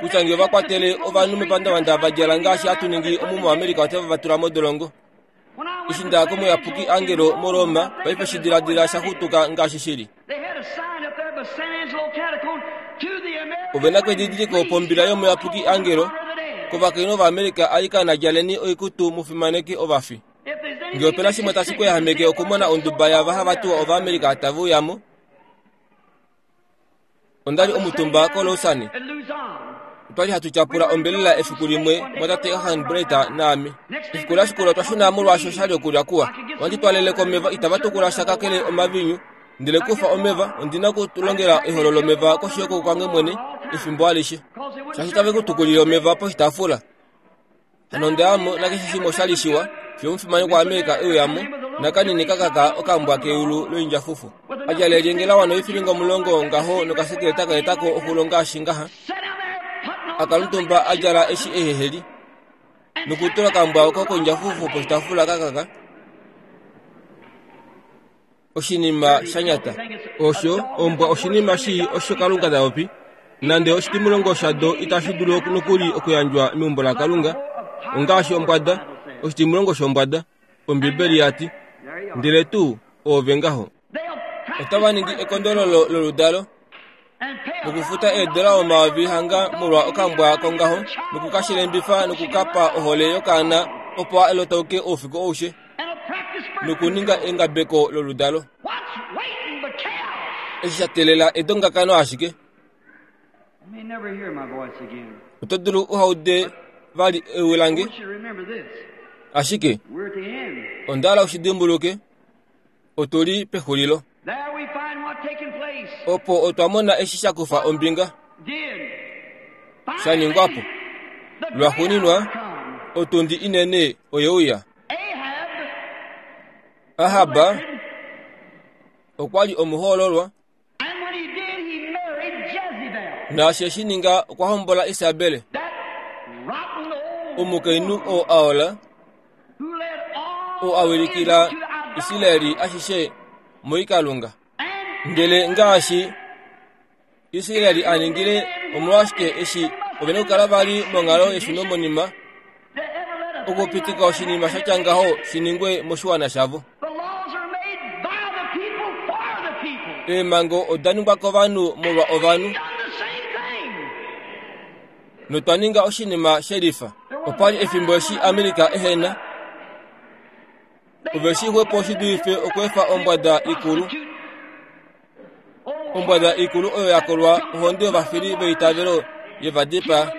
kutya nge ova kwatele ovanhu mepandavanda va djala ngaashi hatu ningi omu moAmerica otava va tula modolongo. Eshi nda komuyapuki Angelo muRoma, paife shidiladila sha xutuka ngaashi shili. Ove na kedidiliko pombila yomuyapuki Angelo kovakainhu vaAmerika alikana djaleni oikutu mu fimaneke ovafi. Ngee opena shimwe tashi ku yahameke okumona onduba yaava hava tiwa Ovaamerika tave uya mo. Onda li omutumba koLausanne. Otwa li hatu tyapula ombelela efiku limwe mwatate Arganbright naame. Efiku la shikula otwa shuna molwaashi osha li okulya kuwa. Ohandi twalele ko omeva itava tukula sha kakele omaviinyu. Ndele kufa omeva, ondi na okulongela eholo lomeva koshi yokooko kwange mwene efimbo alishe. Shaashi tave ku tukulile omeva poshitaafula. Hano onda ya mo nakeshe shimwe osha li shiwa, fiyo omufimanekwa waAmerika e uya mo, nakanini kakaka okambwa keyulu loindjafufu. A djala elyenge la wana oifilinga omulongo ngaho nokasekeleta ka eta ko oxulo ngaashi ngaha. A kala omutumba a djala eshi eheheli, nokutula okambwa oko koindjafufu poshitaafula kakaka. Oshinima sha nyata. Osho, ombwa oshinima shii osho Kalunga ta popi. Nande oshitimulongo shado itashi dulu nokuli okuyandjwa meumbo laKalunga, ongaashi ombwada, oshitimulongo shombwada, Ombibeli ya ti. Ndele tuu, oove ngaho. Otava ningi ekondololo loludalo, nokufuta eedola omayovi hanga molwa okambwa kongaho, nokukashilembifa nokukapa ohole yokaana opo a lotauke oufiku aushe, nokuninga engabeko loludalo. Eshi sha teelela edongakano ashike. Oto dulu uha ude vali ewi lange, ashike onda hala u shi dimbuluke, otu li pexulilo. Opo otwa mona eshi sha kufa ombinga sha ningwa po. Lwaxuuninwa, otundi inene oye uya. Ahab okwa li omuhoololwa, naashi e shi ninga okwa hombola Isabel, omukainhu oo a ola, oo a wilikila Israel ashishe moikalunga. Ndele ngaashi Israel a ningile, omolwashike eshi ove na okukala vali monghalo yeshunomonima okupitika oshinima sha tya ngaho shi ningwe moshiwana shavo? Eemhango oda ningwa kovanhu molwa ovanhu, notwa ninga oshinima she lifa. Opa li efimbo eshi Amerika ehena ove shi xwepo shi dulife okweefa ombwada ikulu, ombwada ikulu oyo ya kolwa ohonde yovafili veitavelo ye va dipaa.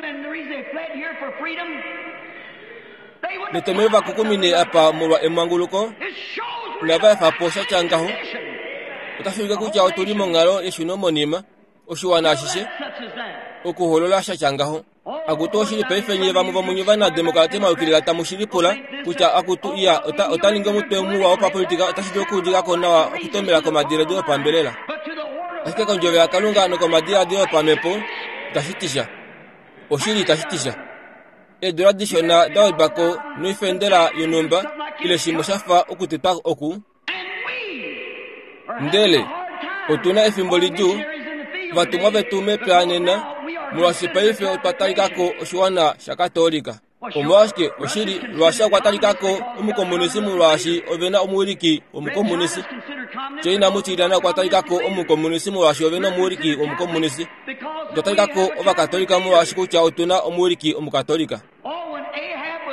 Netomhelo va kukumine apa molwa emanguluko, inava efa po sha tya ngaho. Otashi ulike kutya otu li monghalo yeshunomonima, oshiwana ashishe, okuholola sha tya ngaho. Akutu oshili paife nye vamwe vomunye ovanademokrati mwa yukilila tamu shi lipula kutya akutu iya ota, ota ningi omutwe muwa wopapolitika otashi dulu okuudika ko nawa okutomela komadiladilo opambelela. Ashike kondjovo yaKalunga nokomadiladilo opamhepo itashi ti sha. Oshili itashi ti sha. Eedula dishona da wedwa ko noifendela yonhumba ile shimwe sha fa okutetwa oku. Ndele otu na efimbo lidjuu, ovatumwa vetu mepya nena, molwaashi paife otwa talika ko oshiwana shaKatoolika. Omolwashike, oshili, Russia okwa talika ko omukomunisi molwaashi ove na omuwiliki womukomunisi. China mutilyana okwa talika ko omukomunisi molwaashi ove na omuwiliki womukomunisi. Otwa talika ko Ovakatolika molwaashi kutya otu na omuwiliki Omukatolika.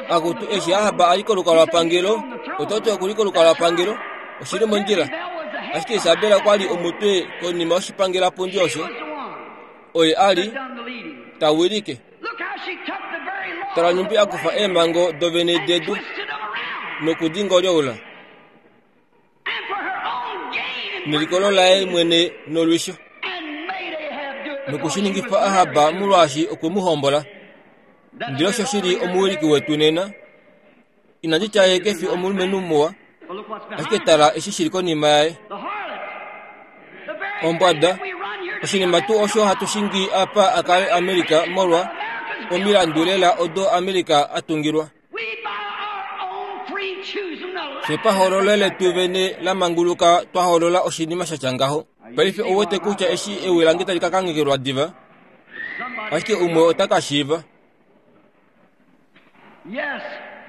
Akutu, eshi Ahab a li kolukalwapangelo, oto ti oku li kolukalwapangelo, oshi li mondjila. Ashike Isabel okwa li omutwe konima yoshipangelapundi osho. Oye a li ta wilike. Tala nhumbi a kufa eemhango dovene dedu noku di ngolyoula nelikolo laye mwene nolwisho, noku shi ningifa Ahab molwaashi okwe mu hombola. Ndele osho shi li omuwiliki wetu nena. Inandi tya ye ke fi omulumenhu muwa, ashike tala eshi shi li konima yaye. Ombwada, oshinima tuu osho hatu shingi apa a kale America molwa omilandu lela odo America a tungilwa. Fye pahoololo letu vene la manguluka twa hoolola oshinima sha tya ngaho. Paife ou wete kutya eshi ewi lange tali ka kanghekela diva, ashike umwe ota ka shiiva.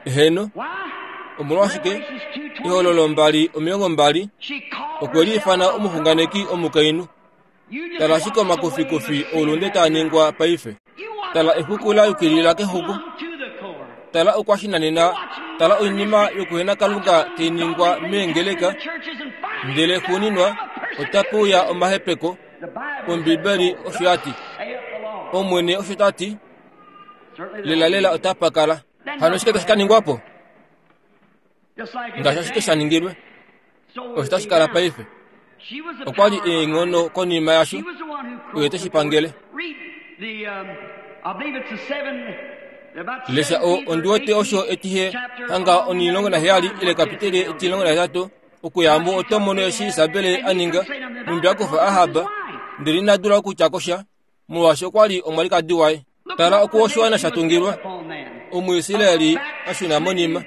Heeno. Omolwashike Ehololo mbali omilongo mbali okwe liifana omuxunganeki omukainhu. Tala ashike omakufikufi oulunde taa ningwa paife. Tala exuku la yukilila kexuku. Tala okwashinanena, tala oinima yokuhena Kalunga tai ningwa meengeleka, ndele xuuninwa otape uya omahepeko. Ombibeli osho ya ti, Omwene osho ta ti, lelalela otapa kala. Hano shike tashi ka ningwa po? Ngaashi ashike sha ningilwe, osho tashi kala paife. Okwa li eenghono konima yasho, oye te shi pangele. Lesha o ondi wete osho etihe hanga onilongo naheyali ile kapiteli etilongo nahetatu okuya mo oto mono eshi Isabel a ninga numbi a kufa Ahab, ndele ina dula okutya ko sha molwaashi okwa li omwalikadi waye. Tala oku oshiwana sha tungilwa, Omuisraeli a shuna monima,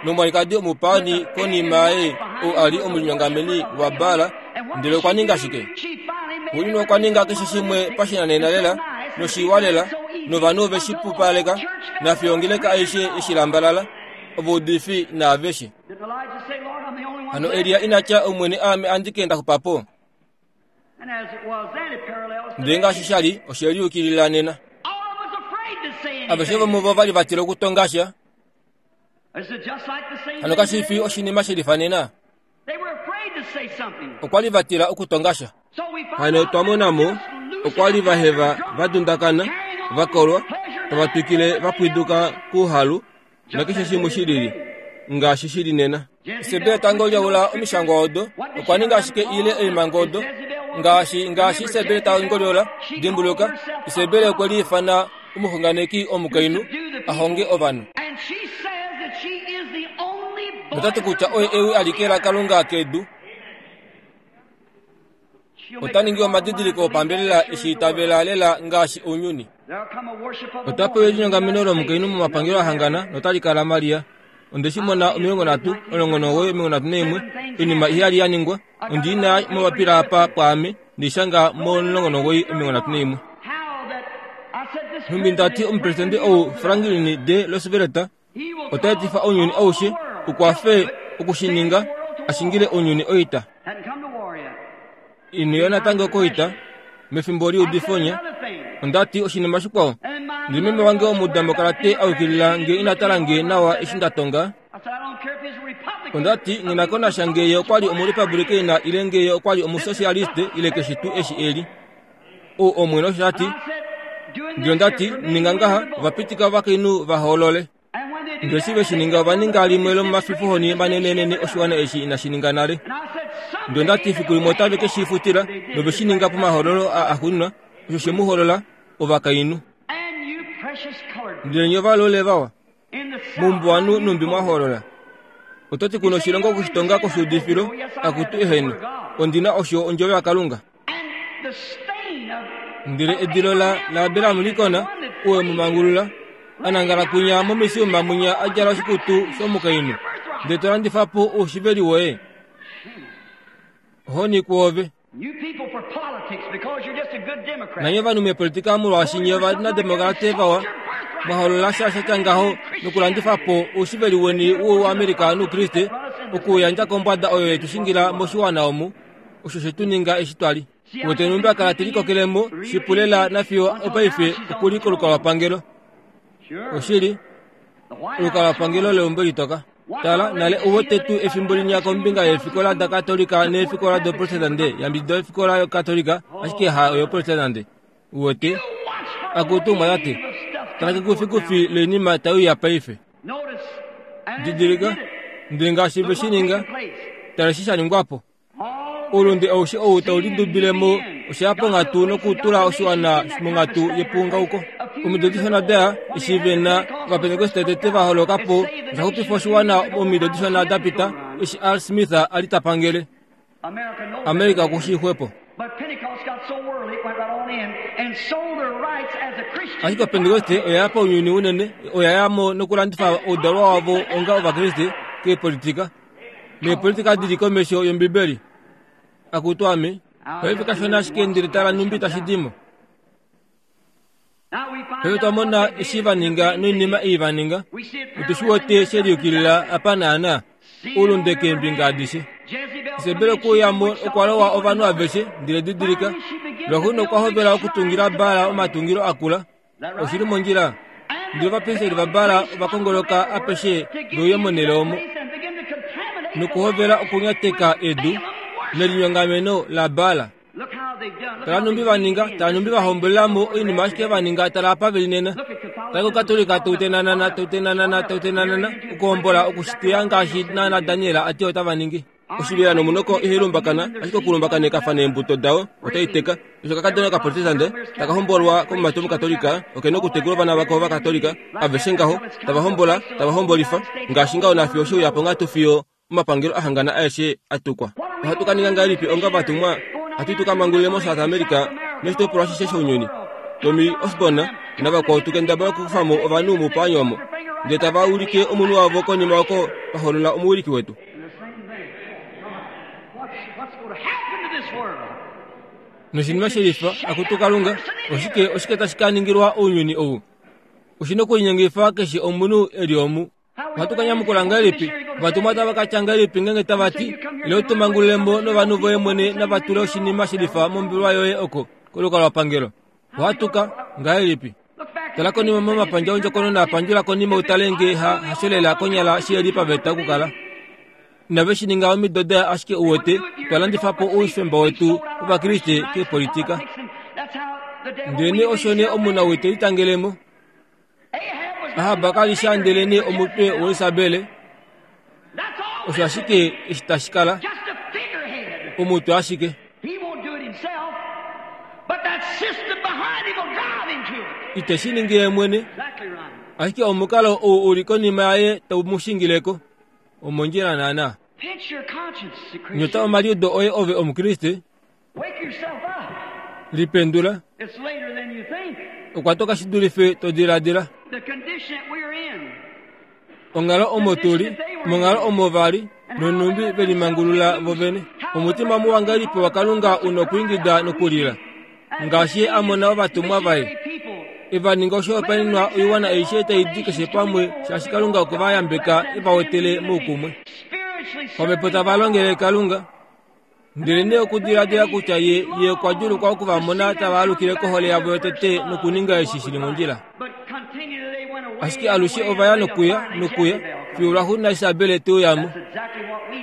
nomwalikadi omupaani konima yaye ou a li omulinyongameni waBaal, ndele okwa ninga shike? Xuuninwa okwa ninga keshe shimwe pashinanena lela noshiwa lela, novanhu ove shi pupaleka, nafiyo ongeleka aishe eshi lambalala, ovaudifi naaveshe. Hano Elia ina tya, Omwene aame andike nda xupa po. Ndele ngaashi sha li, oshe liyukilila nena. Aveshe vomuvo va li va tila okutonga sha. Hano kashi fi oshinima she lifa nena? Okwa li va tila okutonga sha. Hano twa mona mo, okwa li va heva va dundakana, va kolwa, tava twikile va pwiduka kouhalu nakeshe shimwe shi lili, ngaashi shi li nena. Isebel tango lyaula omishangwa odo, okwa ninga ashike ile oimango odo, ngaashi ngaashi Isebel ta ngolyola. Dimbuluka, Isebel okwe liifana omuxunganeki omukainhu a honge ovanhu. Nota ti kutya oye ewi alike laKalunga kedu. Ota ningi omadidiliko opambelela eshi itavela lela ngaashi ounyuni. Ota pewa elinyongameno lomukainhu momapangelo a hangana notali kala Maria. Onde shi mona omilongo nhatu, omulongo nomugoyi, omilongo nhatu naimwe, oinima iheyali ya ningwa. Ondi na momapila apa pwaame, ndishanga momulongo nomugoyi, omilongo nhatu naimwe. Nhumbi nda ti omupresidente ou Franklin D. Roosevelt ota etifa ounyuni aushe u kwafe oku shi ninga a shingile ounyuni oita. Ino ya natango koita mefimbo liudifonya. Onda ti oshinima shikwao, ndele meme wange omudamokalate a yukilila nge ina tala nge nawa eshi nda tonga. Onda ti nghi ko nasha nge ye okwa li omurepublikeina ile nge ye okwa li omusosialiste ile keshe tuu eshi e li. Ou Omwene osho a ti. Ndele onda ti, ninga ngaha, ova pitika ovakainhu va hoolole. Ndele eshi ve shi ninga ova ninga limwe lomomafifohoni manenenene oshiwana eshi inashi ninga nale. Ndele onda ti fiku limwe otave ke shi futila, nove shi ninga pomahoololo a axuuninwa, osho she mu holola, ovakainhu. Ndele nye ovalole vawa, moumbuwanhu numbi mwa hoolola. Oto ti kuna oshilongo okushitonga koshuudifilo, akutu eheno, ondi na osho ondjovo yaKalunga. Ndele edilo la laAbraham Lincoln, ou e mu mangulula, a nangala kwinya momisiuma mwinya a djala oshikutu shomukainhu, ndele to landifa po oushiveli woye. Ohoni kwoove. Nanye ovanhu meepolitika molwaashi nye ovanademokrate vawa, mwa holola sha sha tya ngaho nokulandifa po oushiveli weni wOuamerika nOukriste, okuuyandja kombwada oyo ye tu shingila moshiwana omu, osho she tu ninga eshi twa li. Wete numbi a kala te likokele mo shipu lela nafiyo opaife oku li kolukalwapangelo. Oshili, olukalwapangelo leumbo litoka. Tala, nale uwete tuu efimbo linya kombinga yeefikola daKatolika neefikola doProtestante, yambidida ofikola yoKatolika, ashike ha oyoProtestante. Uwete? Akutu mwatati, tala kekufikufi loinima tai uya paife. Didilika, ndele ngaashi ve shi ninga, tala eshi sha ningwa po. Oulunde aushe ou tau lidubile mo osha ya ponghatu nokutula oshiwana monghatu yepuungauko. Omido dishona da eshi ve na Ovapentekoste tete va holoka po, osha xupifa oshiwana omido dishona da pita eshi Al Smith a li ta pangele. Amerika oku shii xwepo. Ashike Opentekoste oya ya paunyuni unene, oya ya mo nokulandifa oudalwa wavo onga Ovakriste keepolitika. Neepolitika di li komesho yOmbibeli. Akutu ame, paife kashona ashike ndele tala nhumbi tashi di mo. Paife twa mona eshi va ninga noinima ei va ninga. Otu shi wete she liyukilila apa naana oulunde keembinga adishe. Isebel okuuyamo okwa lowa ovanhu aveshe ndele didilika. Lwaxuuninwa okwa hovela okutungila Baal omatungilo akula. Oshili mondjila. Ndele ovapristeli vaBaal ova kongoloka apeshe veuye monhele omo nokuhovela okunyateka edu nelinyongameno laBaal. Tala nhumbi va ninga, tala nhumbi va hombolelamo oinima ashike va ninga, tala apa veli nena. Tala kOkatolika toutenanana, toutenanana, toutenanana, okuhombola okushiteya ngaashi naana Daniel a ti otava ningi. Oshivela nomunoko ihai lumbakana, ashike okulumbakanekafa neembuto dao otai teka. Osho kakadona kaProtestante taka hombolwa komumati Omukatolika oke na okutekula ovana vako Ovakatolika aveshe ngaho, tava hombola, tava hombolifa, ngaashi ngaho nafiyo oshe uya ponghatu fiyo omapangelo ahangana aeshe a tukwa. Ohatu ka ninga ngahelipi onga ovatumwa hatu tu ka mangulule moSouth America noshitopolwa ashishe shounyuni? Tommy Osborn navakwao tu kendabala okukufa mo ovanhu moupaani omo, ndele tava ulike omunhu wavo konima oko va hoolola omuwiliki wetu. Noshinima shelifa, akutu Kalunga, oshike oshike tashi ka ningilwa ounyuni ou? Oshi nokulinyengifa keshe omunhu e li omu. Ohatu ka nyamukula ngahelipi? Ovatumwa otava ka tya ngahelipi ngeenge tava ti, Ile u tu mangulule mo novanhu voye mwene nava tule oshinima shelifa mombelwa yoye oko kolukalwapangelo? Ohatu ka ngahelipi? Tala konima momapandja ondjokonona pandjula konima u tale ngee ha hasholela konyala shi li paveta okukala. Inave shi ninga omido daya ashike u wete twa landifa po oufemba wetu wOvakriste keepolitika. Ndelenee osho nee omunawii te litangele mo. Ahab ka li sha ndelenee omutwe waIsabel. Osho ashike eshi tashi kala. Omutwe ashike. Ite shi ningi ye mwene, ashike omukalo ou u li konima yaye tau mu shingile ko. Omondjila naana. Nyota omaliudo oye ove Omukriste. Lipendula. Okwa toka shi dulife to diladila. Onghalo omo tu li, monghalo omo va li, nonhumbi ve limangulula vo vene. Omutima muwa ngahelipi waKalunga u nokwiingida nokulila, ngaashi Ye a mona ovatumwa vaye e va ninga oshihopaenenwa oiwana aishe tai di keshe pamwe, shaashi Kalunga okwe va yambeka e va wetele moukumwe. Pamhepo tava longele Kalunga. Ndelenee okudiladila kutya ye, ye okwa djuulukwa oku va mona tava alukile kohole yavo yotete nokuninga eshi shi li mondjila. Ashike alushe ova ya nokuya nokuya fiyo lwaxuuninwa Isabel te uya mo.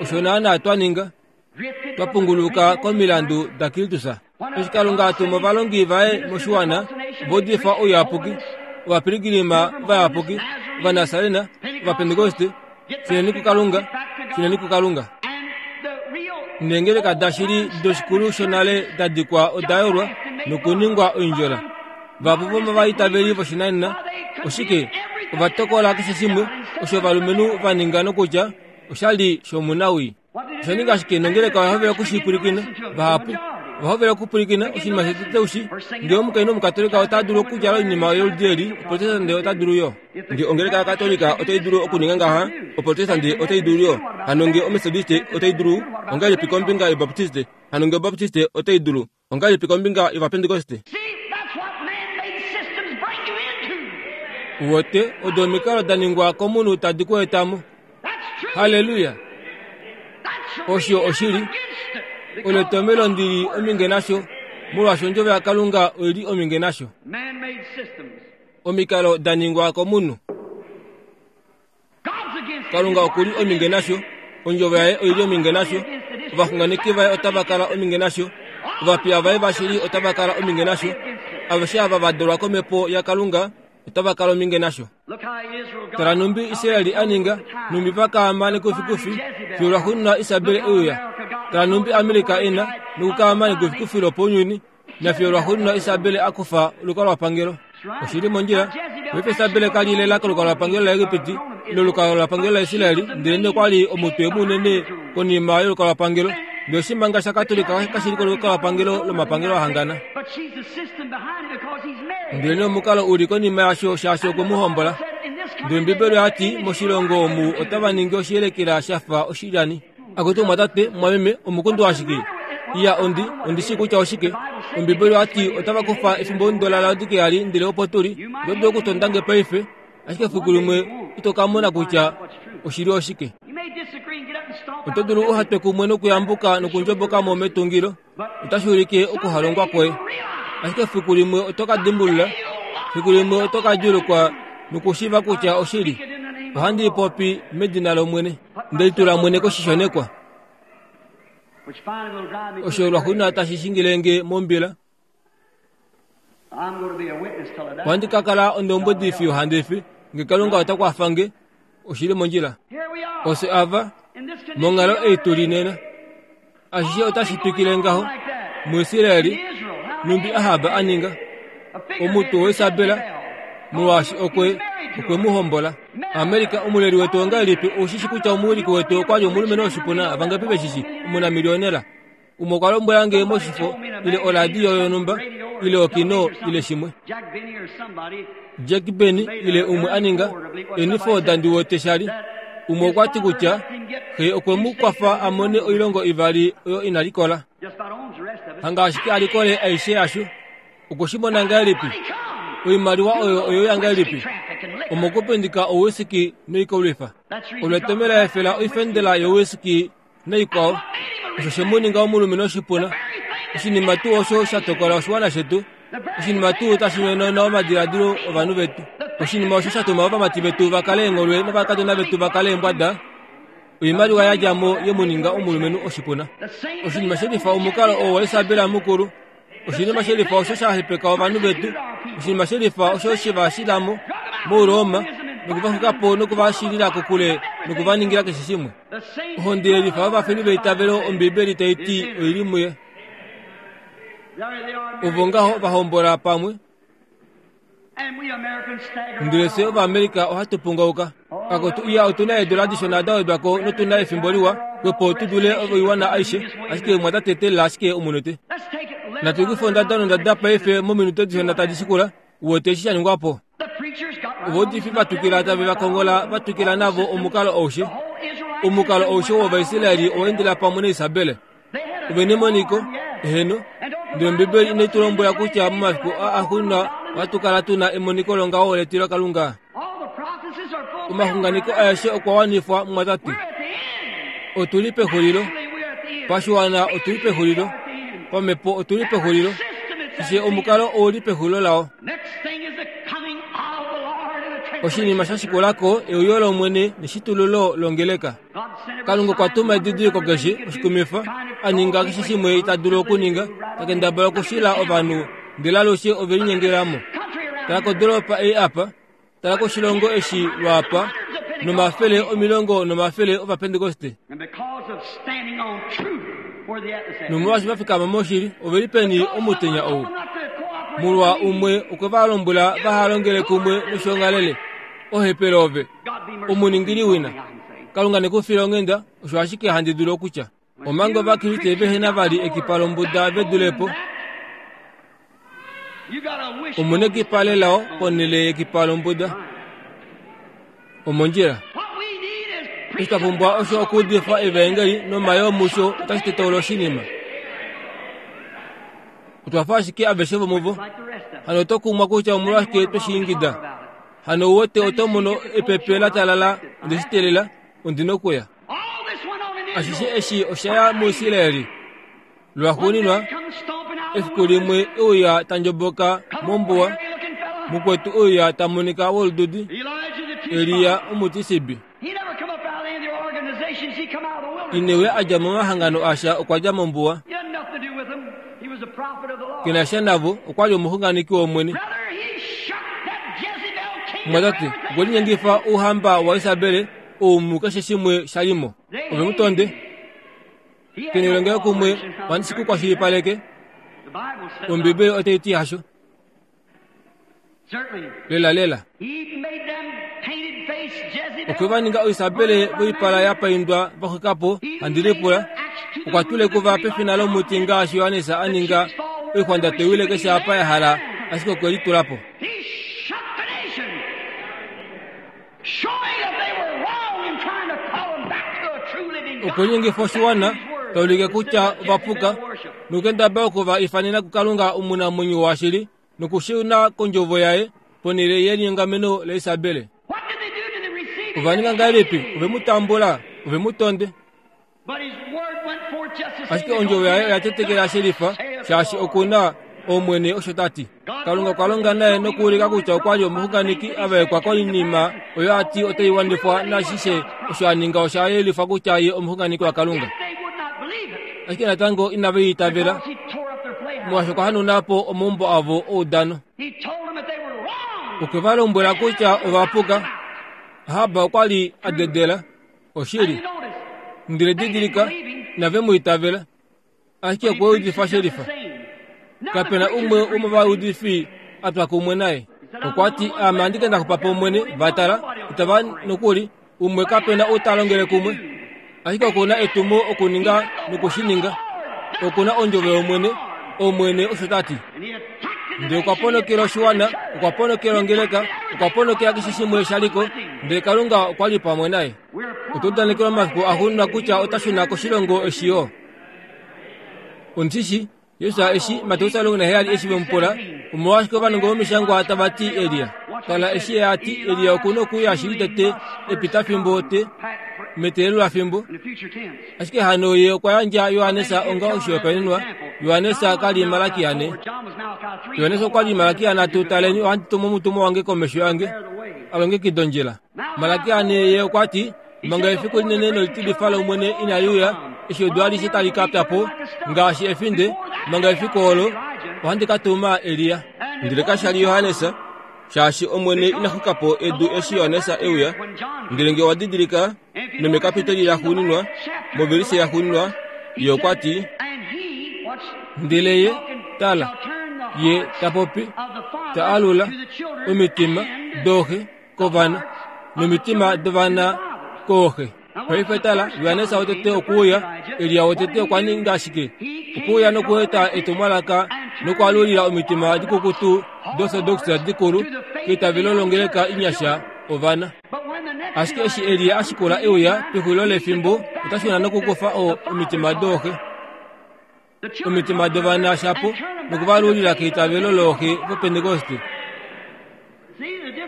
Osho naanaa twa ninga. Twa punguluka komilandu daKristus. Eshi Kalunga a tuma ovalongi vaye moshiwana, ova udifa ouyapuki, ovapiligilima vayapuki, Ovanasarena, Ovapentekoste, shuneni kuKalunga, shuneni kuKalunga. Neengeleka dashili doshikulu shonale da dikwa oda yolwa nokuningwa oindjola. Vahapu vomovaitaveli voshinanena, oshike, ova tokola keshe shimwe osho ovalumenhu va ninga nokutya osha li shomunawii. Osha ninga ashike nongeleka oya hovela oku shi pwilikina. Vahapu ova hovela okupwilikina oshinima shetete ushi. Ngee omukainhu Omukatolika ota dulu okudjala oinima yoludi eli, Oprotestante ota dulu yo. Ngee ongeleka yaKatolika otai dulu okuninga ngaha, Oprotestante otai dulu yo. Hano ngee Ometodiste otai dulu, ongahelipi kombinga yObaptiste? Hano ngee Obaptiste otai dulu, ongahelipi kombinga yOvapentekoste? Uwete, odo omikalo da ningwa komunhu tadi ku eta mo. Halleluya! Osho oshili. Olo etomhelo ndi li ominge nasho, molwaashi Ondjovo yaKalunga oi li ominge nasho. Omikalo da ningwa komunhu. Kalunga oku li ominge nasho. Ondjovo yaye oi li ominge nasho. Ovaxunganeki vaye otava kala ominge nasho. Ovapiya vaye vashili otava kala ominge nasho. Aveshe ava va dalwa kOmhepo yaKalunga otava kala ominge nasho. Tala nhumbi Israel a ninga, nhumbi va kaama nekufikufi fiyo lwaxuuninwa Isabel e uya. Tala nhumbi Amerika e na nokukaama nekufikufi lopounyuni, nafiyo lwaxuuninwa Isabel a kufa olukalwapangelo. Oshi li mondjila. Paife Isabel ka li lela kolukalwapangelo laEgipiti ile olukalwapangelo laIsrael, ndelenee okwa li omutwe munene konima yolukalwapangelo. Ndele oshimanga shaKatolika kashi li kolukalwapangelo lomapangelo a hangana. Ndelenee omukalo u li konima yasho shaashi okwe mu hombola. Ndele Ombibeli oya ti, Moshilongo omu otava ningi oshiyelekela sha fa oshilyani. Akutu mumwatate, mumwameme, omukundu ashike. Iya ondi ondi shii kutya oshike. Ombibeli oyati otava kufa efimbo la Laodikea li ndele opo tuli. Oto dulu okutonda nge paife, ashike efiku limwe ito ka mona kutya oshili oshike. Oto dulu uhatwe kumwe nokuyambuka nokundjoboka mo metungilo. Otashi ulike okuhalongwa kwoye. Ashike efiku limwe oto ka dimbulula, efiku limwe oto ka djuulukwa nokushiiva kutya oshili. Ohandi popi medina lOmwene. Ndeli tula mwene koshishonekwa. Osho lwaxuuninwa tashi shingilenge mombila. Ohandi ka kala ondombwedi fiyo handi fi, nge Kalunga ota kwafa nge, oshili mondjila. Ofye ava, monghalo ei tuli nena. Ashishe otashi twikile ngaho. MuIsraeli, numbi Ahab a ninga omutwe waIsabel, molwaashi okwe okwe mu hombola. Amerika, omuleli wetu ongahelipi? Oushi kutya omuwiliki wetu okwa li omulumenhu oshipuna, vangapi veshishi, omunamiliyonela. Umwe okwa lombwela nge moshifo, ile oradio yonhumba, ile okino, ile shimwe. Jack Benny, ile umwe a ninga, Eniford ndi wete shali. Umwe okwa ti kutya xe okwe mu kwafa a mone oilongo ivali oyo ina likola. Hanga ashike a likole aishe yasho. Okwe shi mona ngahelipi? Oimaliwa oyo oyo ya ngahelipi? Omokupindika owisiki noikolwifa. Olwetomela efela oifendela yowisiki naikwao. Osho she mu ninga omulumenhu oshipuna. Oshinima tuu osho sha tokola oshiwana shetu. Oshinima tuu tashi nyonona omadiladilo ovanhu vetu. Oshinima osho sha tuma ovamati vetu va kale eengholwe novakadona vetu va kale eembwada. Oimaliwa ya dja mo ye mu ninga omulumenhu oshipuna. Oshinima shelifa omukalo oo waIsabel mukulu. Oshinima shelifa osho sha hepeka ovanhu vetu. Oshinima shelifa osho she va shila mo moRoma nokuva xwika po nokuva shilila kokule nokuva ningila keshe shimwe. Ohonde yelifa yovafeli veitavelo Ombibeli tai ti oili muye. Ovo ngaho va hombola pamwe. Ndele fye Ovaamerica ohatu pungauka. Kakotu iya otuna eedula dishona da wedwa ko notuna efimbo liwa kwepo tu dule oiwana aishe, ashike mwatate teelela ashike omunute. Natu kufe ondada nondada paife mominute dishona tadi shikula, uwete eshi sha ningwa po. Ovaudifi va twikila tave va kongola va twikila navo omukalo aushe. Omukalo aushe wOvaisraeli owa endela pamwe naIsabel. Ove nemoniko, eheno, ndele Ombibeli inai tu lombwela kutya momafiku aa axuuninwa ohatu kala tuna emoniko longaho letilo Kalunga. Omaxunganeko aeshe okwa wanifwa mumwatate. Otuli pexulilo. Pashiwana otuli pexulilo. Pamhepo otuli pexulilo. Keshe omukalo ouli pexulilo lao. Oshinima sha shikulako euyo lOmwene neshitululo longeleka. Kalunga okwa tuma edidiliko keshe oshikumifa, a ninga keshe shimwe ita dulu okuninga, ta kendabala okushila ovanhu, ndele alushe ove linyengela mo. Tala kodolopa ei apa, tala koshilongo eshi lwaapa, nomafele omilongo nomafele Ovapentekoste. Nomolwaashi va fikama moshili, ove li peni omutenya ou? Molwa umwe okwe va lombwela vaha longele kumwe noshiongalele. Ohepele ove, omuningili wina. Kalunga ne ku file onghenda, osho ashike handi dulu okutya. Omanga Ovakriste vehena vali ekipa lombuda ve dulepo. Omuna ekipa lelao ponhele yekipa lombuda. Omondjila. Eshi twa pumbwa osho okuudifa evaengeli nomayoo musho otashi tetaula oshinima. Otwa fa ashike aveshe vomuvo. Hano oto kumwa kutya omolwashike tweshi ingida. Hano uwete oto mono epepe la talala onde shi teelela, ondi nokuya. Ashishe eshi osha ya muIsraeli. Lwaxuuninwa, efiku limwe euya ta ndjoboka mombuwa, mukwetu euya ta monika wolududi, Elia omutisibi. Inewe a dja momahangano asha okwa dja mombuwa. Kena sha navo, okwa li omuxunganeki wOmwene. Mwatate, okwe linyengifa ouhamba waIsabel ou mukeshe shimwe sha li mo. Ove mu tonde. Kena elongelo kumwe, ohandi shi ku kwashilipaleke. Ombibeli otai ti hasho. Lela lela. Okwe va ninga oIsabel voipala ya paindwa va xwika po, handi lipula. Okwa tule kuva pefina lomuti ngaashi Johannes a ninga oixwanda tewile keshe apa ya hala, ashike okwe litula po. Okwe linyengifa oshiwana, Taulike kutya ovapuka nokendaba okuva ifanena kuKalunga omunamwenyo washili nokushuna kondjovo yaye ponhele yelinyongameno laIsabele. Ovaninga ngahelipi? Ove mu tambula, ove mu tonde. Ashike ondjovo yaye oya tetekela shelifa, shaashi okuna Omwene osho ta ti. Kalunga okwa longa naye nokuulika kutya okwa li omuxunganeki a vaekwa koinima oyo a ti otai wanifwa nashishe osho a ninga osha yelifa kutya ye omuxunganeki waKalunga. Ashike natango inave itavela, molwaashi okwa hanauna po omaumbo avo oudano. Okwe va lombwela kutya ova puka. Ahab okwa li a dedela oshili, ndele didilika, inave mu itavela. Ashike okwe udifa shelifa. Kapena umwe womovaudifi a twa kumwe naye. Okwa ti, Ame andike nda xupa po Omwene, va tala, itava nokuli, umwe kapena ou ta longele kumwe. Ashike oku na etumo okuninga noku shi ninga. Oku na ondjovo yOmwene, Omwene osho ta ti. Ndele okwa ponokela oshiwana, okwa ponokela ongeleka, okwa ponokela keshe shimwe sha liko, ndele Kalunga okwa li pamwe naye. Otwa udanekelwa omafiku axuuninwa kutya ota shuna koshilongo eshi yo. Ondishi, Jesus eshi Mateus omulongo naheyali eshi ve mu pula, omolwashike ovanongo vomishangwa tava ti Elia? Tala eshi ye a ti Elia oku na okuuya shili tete epitafimbo te meteelelo lafimbo. Ashike hano ye okwa yandja Johannes onga oshihopaenenwa. Johannes ka li Malaki ane. Johannes okwa li Malaki anatu, taleni ohandi tumu omutumwa wange komesho yange a longekida ondjila. Malaki ane ye okwa ti, manga efiku linene nolitilifa lOmwene inali uya, eshi edu alishe tali ka pya po ngaashi efinde, manga efiku olo ohandi ka tuma Elia. Ndele kasha li Johannes, shaashi Omwene ina xuka po edu eshi Johannes e uya. Ndele nge owa didilika nomekapiteli laxuuninwa, movelise yaxuuninwa, ye okwa ti, ndele ye, tala, ye ta popi, ta alula omitima dooxe kovana nomitima dovana kooxe. Paife tala, Johannes wotete okuuya, Elia wotete okwa ninga ashike okuuya nokueta etumwalaka nokwaalulila omitima dikukutu dorthodox dikulu keitavelo longeleka inyasha ovana. Ashike eshi Elia a shikula euya pexulilo lefimbo, ota shuna nokukufa o omitima dooxe, omitima dovana shapo, nokuvalulila keitavelo looxe vopentekoste.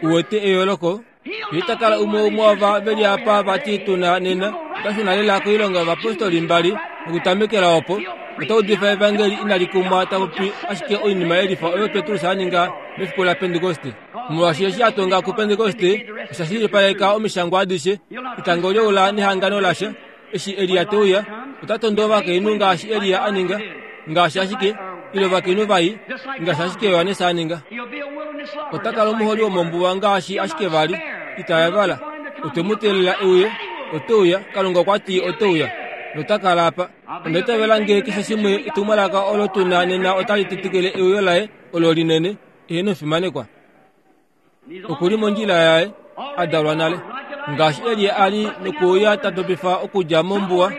Uwete eyooloko? Ye ta kala umwe umwe ova ve li apa vati tuna nena, ota shuna lela koilonga yovapostoli mbali nokutamekela opo. Ota udifa evangeli inali kumwa, ta popi ashike oinima yelifa oyo Petrus a ninga mefiku laPentekoste. Molwaashi eshi a tonga kuPentekoste osha shilipaleka omishangwa adishe, etango leula nehangano lasha. Eshi Elia te uya, ota tondo ovakainhu ngaashi Elia a ninga, ngaashi ashike, ile ovakainhu vai, ngaashi ashike Johannes a ninga. Ota kala omuholi womombuwa ngaashi ashike vali, ita yavala. Otwe mu teelela e uye, ote uya, Kalunga okwa ti ote uya, nota kala apa. Onda itavela nge keshe shimwe etumwalaka olo tu na nena otali tetekele euyo laye olo linene, eheno fimanekwa. Oku li mondjila yaye, a dalwa nale. Ngaashi Elia a li nokuuya ta topifa okudja mombuwa,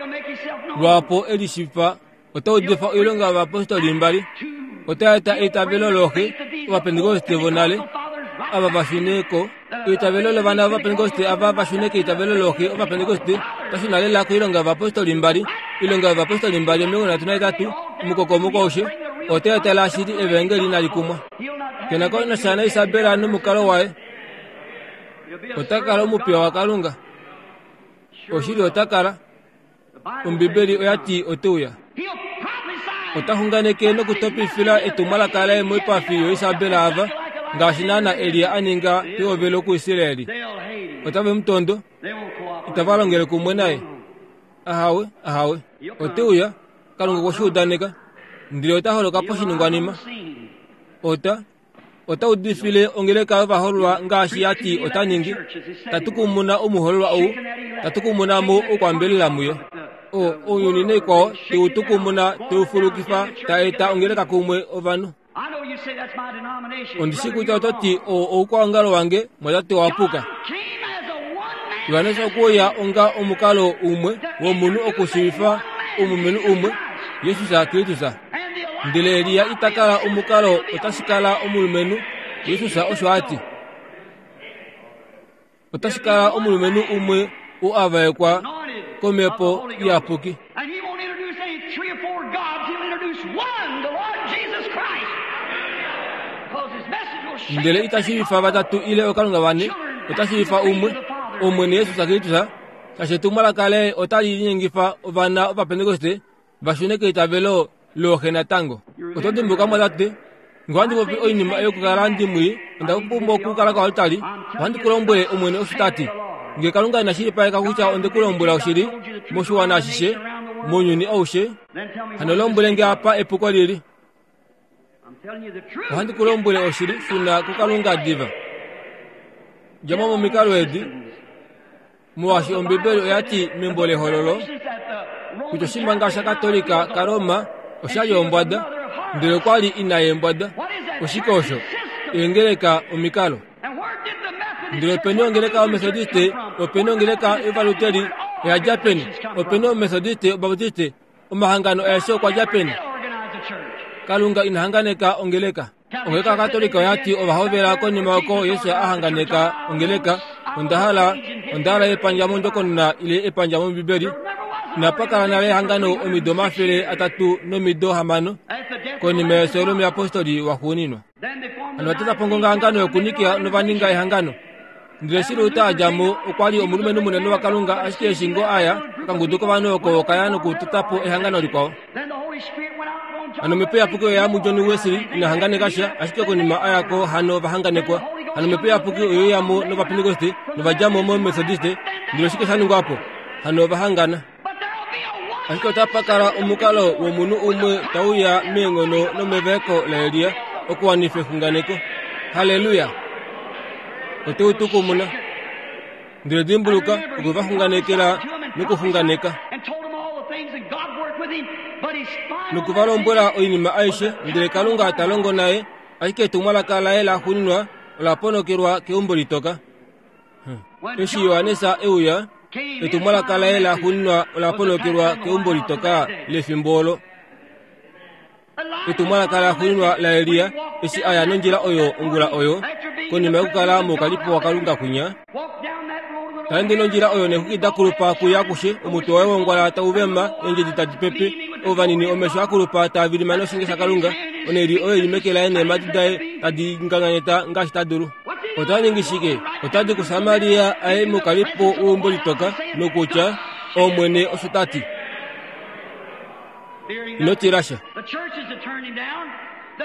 lwaapo e lishipa, ota udifa oilonga yovapostoli mbali. Ota eta eitavelo looxe ovapentekoste vonale, ava va shune ko. Eitavelo lovana ovapentekoste ava va shune keitavelo looxe ovapentekoste, ota shuna lela koilonga yovapostoli mbali. Oilonga yovapostoli mbali omilongo nhatu nahetatu, omukokomoko aushe, ota etela shili evangeli inali kumwa. Kena ko nasha naIsabela nomukalo waye. Ota kala omupiya waKalunga. Oshili ota kala. Ombibeli oya ti ote uya. Ota xunganeke nokutopifila etumwalaka laye moipafi yoIsabela ava, ngaashi naana Elia a ninga pehovelo kuIsraeli. Otave mu tondo, itava longele kumwe naye. Ahawe, ahawe. Ote uya, Kalunga okwe shi udaneka, ndele ota holoka poshiningwanima. Ota ota udifile ongeleka yovahololwa ngaashi ya ti ota ningi, ta tukumuna omuhololwa ou, ta tukumuna mo oukwambelela muyo. O, ounyuni naikwao te u tukumuna, te u fulukifa, ta eta ongeleka kumwe ovanhu. Ondi shi kutya oto ti oo oukwaongalo wange, mwatate wa puka. Johannes okwe uya onga omukalo umwe womunhu okushiivifa omulumenhu umwe, Jesus Kristus. Ndele Elia ita kala omukalo, otashi kala omulumenhu, Jesus osho a ti. Otashi kala omulumenhu umwe ou a vaekwa komhepo iyapuki. Ndele ita shiivifa vatatu ile okalunga vane, ota shiivifa umwe, Omwene Jesus Kristus, shaashi etumwalaka laye otali linyengifa ovana Ovapentekoste va shune keitavelo looxe natango. Oto dimbuka mwatate, ngee ohandi popi oinima yokukala ndimwii, onda pumbwa okukala koaltari, ohandi ku lombwele Omwene osho ta ti. Ngee Kalunga ina shilipaleka kutya onde ku lombwela oshili, moshiwana ashishe, mounyuni aushe, hano lombwele nge apa epuko lili. Ohandi ku lombwele oshili, shuna kuKalunga diva. Dja mo momikalo edi, molwaashi Ombibeli oya ti membo lEhololo kutya oshimanga shaKatolika kaRoma osha li ombwada, ndele okwa li ina yeembwada. Oshike osho? Eengeleka omikalo. Ndele openi ongeleka yOmethodiste, openi ongeleka yOvaluteri, oya dja peni? Openi Omethodiste, Obaptiste, omahangano aeshe okwa dja peni? Kalunga ina hanganeka ongeleka. Ongeleka yaKatolika oya ti ova hovela konima oko Jesus a hanganeka ongeleka. Onda hala, onda hala epandja mondjokonona ile epandja mOmbibeli. Inapa kala nale ehangano omido omafele atatu nomido hamano konima yefyo lomuyapostoli waxuuninwa. Hano va tota po ongongahangano yokuNikea nova ninga ehangano. Ndele eshi Luther a dja mo, okwa li omulumenhu munene waKalunga, ashike eshi ngoo a ya, okangudu kovanhu oko oka ya nokutota po ehangano likwao. Hano Omhepo Iyapuki oya ya muJohn Wesley, ina hanganeka sha, ashike konima a ya ko hano va hanganekwa. Hano Omhepo Iyapuki oye uya mo nOvapentekoste, nova dja mo mOmethodiste, ndele oshike sha ningwa po? Hano ova hangana. Ashike otapa kala omukalo womunhu umwe tau ya meenghono nomevaeko laElia okuwanifa exunganeko. Halleluya! Ote u tukumuna. Ndele dimbuluka, okwe va xunganekela nokuxunganeka. Noku va lombwela oinima aishe, ndele Kalunga ta longo naye, ashike etumwalaka laye la xuuninwa ola ponokelwa keumbo litoka. Eshi Johannes e uya, etumwalaka laye la xuuninwa ola ponokelwa keumbo litoka lefimbo olo. Etumwalaka la xuuninwa laElia eshi a ya nondjila oyo ongula oyo, konima yokukala moukalipo waKalunga kwinya, ta ende nondjila oyo neexwiki da kulupa kuya akushe, omutwe waye wongwala tau vema, eendjedi tadi pepe, ovanini omesho a kulupa taa vilima noshinge shaKalunga, oneli oyo ili meke laye neemhadi daye tadi nganganyeta ngaashi ta dulu. Ota ningi shike? Ota di kuSamaria a ye moukalipo weumbo litoka, nokutya, Omwene osho ta ti. Ino tila sha.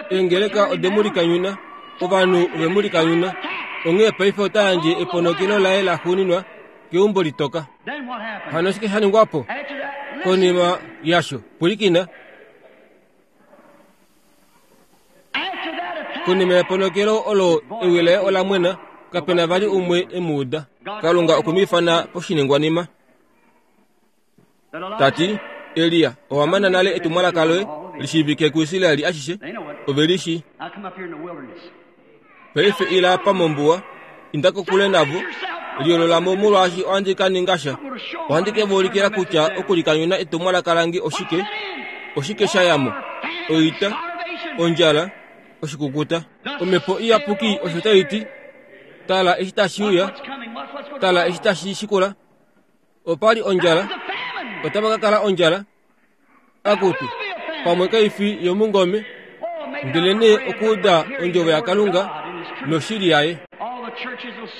Eengeleka ode mu likanyuna, ovanhu ove mu likanyuna, onghee paife ota yandje eponokelo laye laxuuninwa keumbo litoka. Hano oshike sha ningwa po konima yasho? Pwilikina. Konima yeponokelo olo ewi laye ola mwena, kape na vali umwe e mu uda. Kalunga okwe mu ifana poshiningwanima. Ta ti, Elia, owa mana nale etumwalaka loye li shiivike kuIsrael ashishe, ove li shii. Paife ila apa mombuwa, inda kokule navo, liolola mo molwaashi ohandi ka ninga sha. Ohandi ke va ulikila kutya okulikanyuna etumwalaka lange oshike, oshike sha ya mo, oita, ondjala, oshikukuta. Omhepo Iyapuki osho tai ti, Tala eshi tashi uya, tala eshi tashi shikula. Opa li ondjala, otapa ka kala ondjala. Akutu, pamwe kai fi yomungome, ndelenee okuuda ondjovo yaKalunga noshili yaye.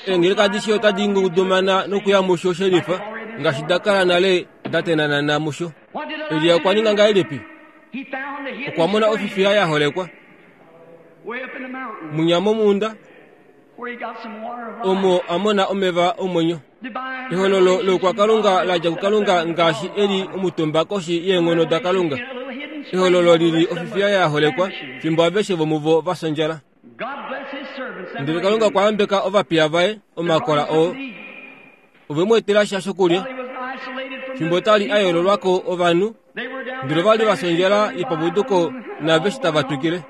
Eengeleka adishe otadi ngudumana nokuya musho shelifa, ngaashi da kala nale da tenanana musho. Elia okwa ninga ngahelipi? Okwa mona ofifiya ya holekwa mwinya momunda, omo a mona omeva omwenyo. Ehololo loukwakalunga la dja kuKalunga ngaashi e li omutumba koshi yeenghono daKalunga. Ehololo li li ofifiya ya holekwa fimbo aveshe vomuvo va fya ondjala. Ndele Kalunga okwa yambeka ovapiya vaye omakola oo. Ove mu etela sha shokulya fimbo ta li a yoololwa ko ovanhu, ndele ova li va fya ondjala yepapuduko naaveshe tava twikile.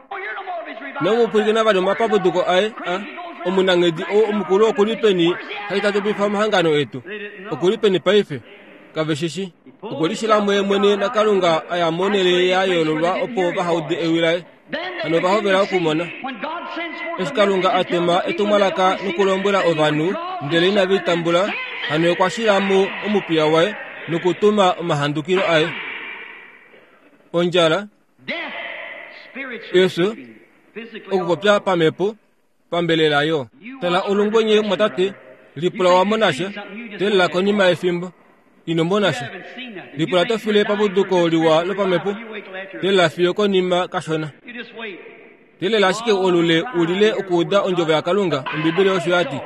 Inamu pwilikina vali omapapuduko aye a omunanghedi ou omukulu oku li peni hai ta tupifa omahangano etu? Oku li peni paife? Kave shi shi. Okwe lishila muye mwene naKalunga a ya monhele ya yoololwa opo vaha ude ewi laye. Hano ova hovela okumona. Eshi Kalunga a tuma etumwalaka nokulombwela ovanhu, ndele inave li tambula, hano okwa shila mo omupiya waye nokutuma omahandukilo aye. Ondjala, efyo, Okupopya pamhepo pambelela yo. Tala olungwenye mwatate, lipula wa mona sha, telela konima yefimbo. Ino mona sha. Lipula to file papuduko liwa lopamhepo, telela fiyo konima kashona. Telela ashike olule ulile okuuda ondjovo yaKalunga. Ombibeli osho yati.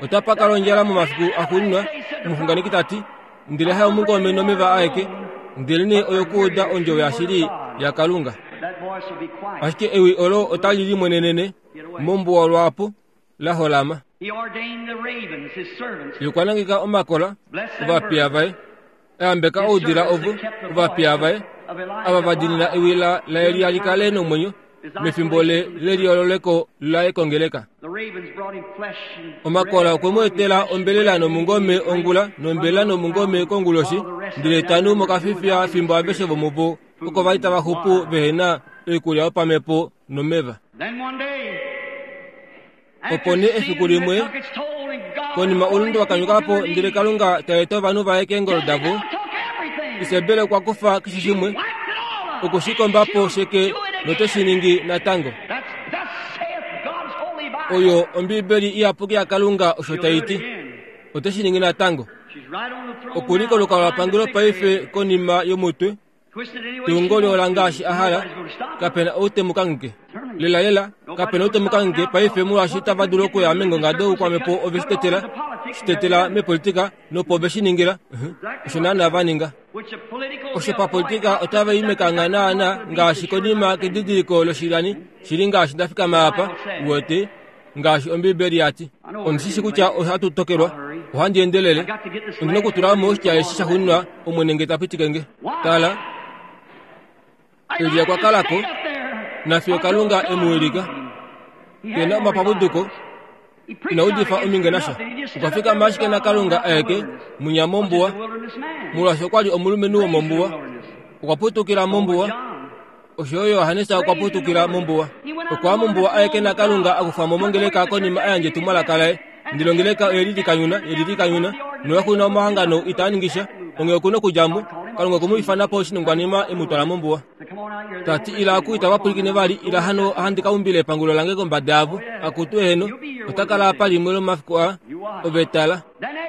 Otapa kala ondjala momafiku axuuninwa, omuxunganeki tati, ndele hayo omungome nomeva aeke, ndelenee oyokuuda ondjovo yashili yaKalunga. Ashike ewi olo otali limwenenene mombuwa lwaapo la holama. Ye okwa nangeka omakola ovapiya vaye, ayambeka oudila ovo ovapiya vaye, ava va diinina ewi laElia li kale nomwenyo mefimbo leliololeko laye kongeleka. Omakola okwe mu etela ombelela nomungome ongula nombelela nomungome konguloshi, ndele tanu mokafifiya fimbo aveshe vomuvo oko vali tava xupu vehena oikulya yopamhepo nomeva. Opo nee efiku limwe konima oulunde wakanyuka po ndele Kalunga ta eta ovanhu vaye keengolo davo, Isebel okwa kufa keshe shimwe, okushikomba po sheke note shi ningi natango. Oyo Ombibeli iyapuki yaKalunga osho tai ti. Ote shi ningi natango. Okuli kolukalwa lwapangelo paife konima yomutwe, tungo liola ngaashi a hala, kapena ou te mu kangheke. Lela lela, kapena ou te mu kangheke paife molwaashi itava dulu okuya meengonga doukwamhepo ove shi tetela, shi tetela mepolitika nopo ve shi ningila. Osho naana va ninga. Osho papolitika otava i mekangha naana ngaashi konima kedidiliko loshilani shili ngaashi nda fikama apa, uwete, ngaashi Ombibeli yati. Ondi shi kutya ohatu tokelwa, ohandi endelele, ondi na okutula mo oshitya eshi shaxuuninwa Omwene nge ta pitike nge. Tala, Elia okwa kala ko, nafiyo Kalunga e mu wilika. Ke na omapapuduko, ina udifa ominge nasha. Okwa fikama ashike naKalunga aeke munya mombuwa, molwaashi okwa li omulumenhu womombuwa. Okwa putukila mombuwa, osho yo Johannes okwa putukila mombuwa. Okwa mombuwa aeke naKalunga akufa mo mongeleka konima a yandja etumwalaka laye. Ndele ongeleka oye lilikanyuna, ye lilikanyuna, noyaxuuninwa omahangano itaa ningi sha. Onghee oku na okudja mo. Kalunga okwe mu ifana po oshiningwanima e mu twala mombuwa. Tati ila aku itava pwilikine vali, ila hano ohandi ka umbila epangulo lange kombada yavo. Akutu eheno, ota kala apa limwe lomafiku aa, ove tala.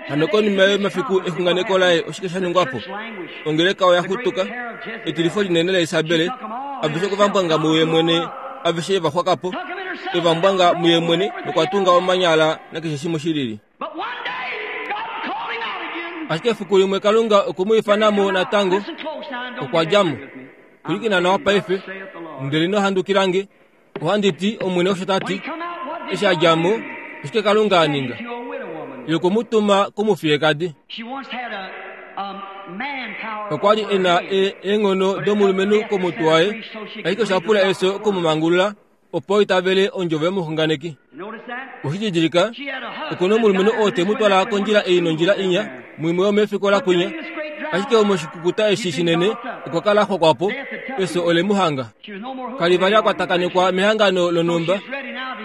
Hano konima yomafiku exunganeko laye oshike sha ningwa po? Ongeleka oya xutuka, etilifo linene laIsabel, aveshe okwe va mbwanga muye mwene, aveshe eva xwaka po, eva mbwanga muye mwene nokwa tunga omanyala nakeshe shimwe shilili. Ashike efiku limwe Kalunga okwe mu ifana mo natango, okwa dja mo. Pwilikina nawa paife, ndele ino handukila nge. Ohandi ti Omwene osho ta ti, eshi a dja mo, oshike Kalunga a ninga? Ye okwe mu tuma komufiyekadi. Okwa li e na eenghono domulumenhu komutwe waye, ashike osha pula efyo okumumangulula opo itavele ondjovo yomuxunganeki. Oshididilika, oku na omulumenhu oo te mu twala kondjila ei nondjila inya, muimwe yomefikola kwinya. Ashike omoshikukuta eshi shinene okwa kala xwakwa po, efyo ole mu hanga. Kali vali a kwatakanekwa mehangano lonhumba,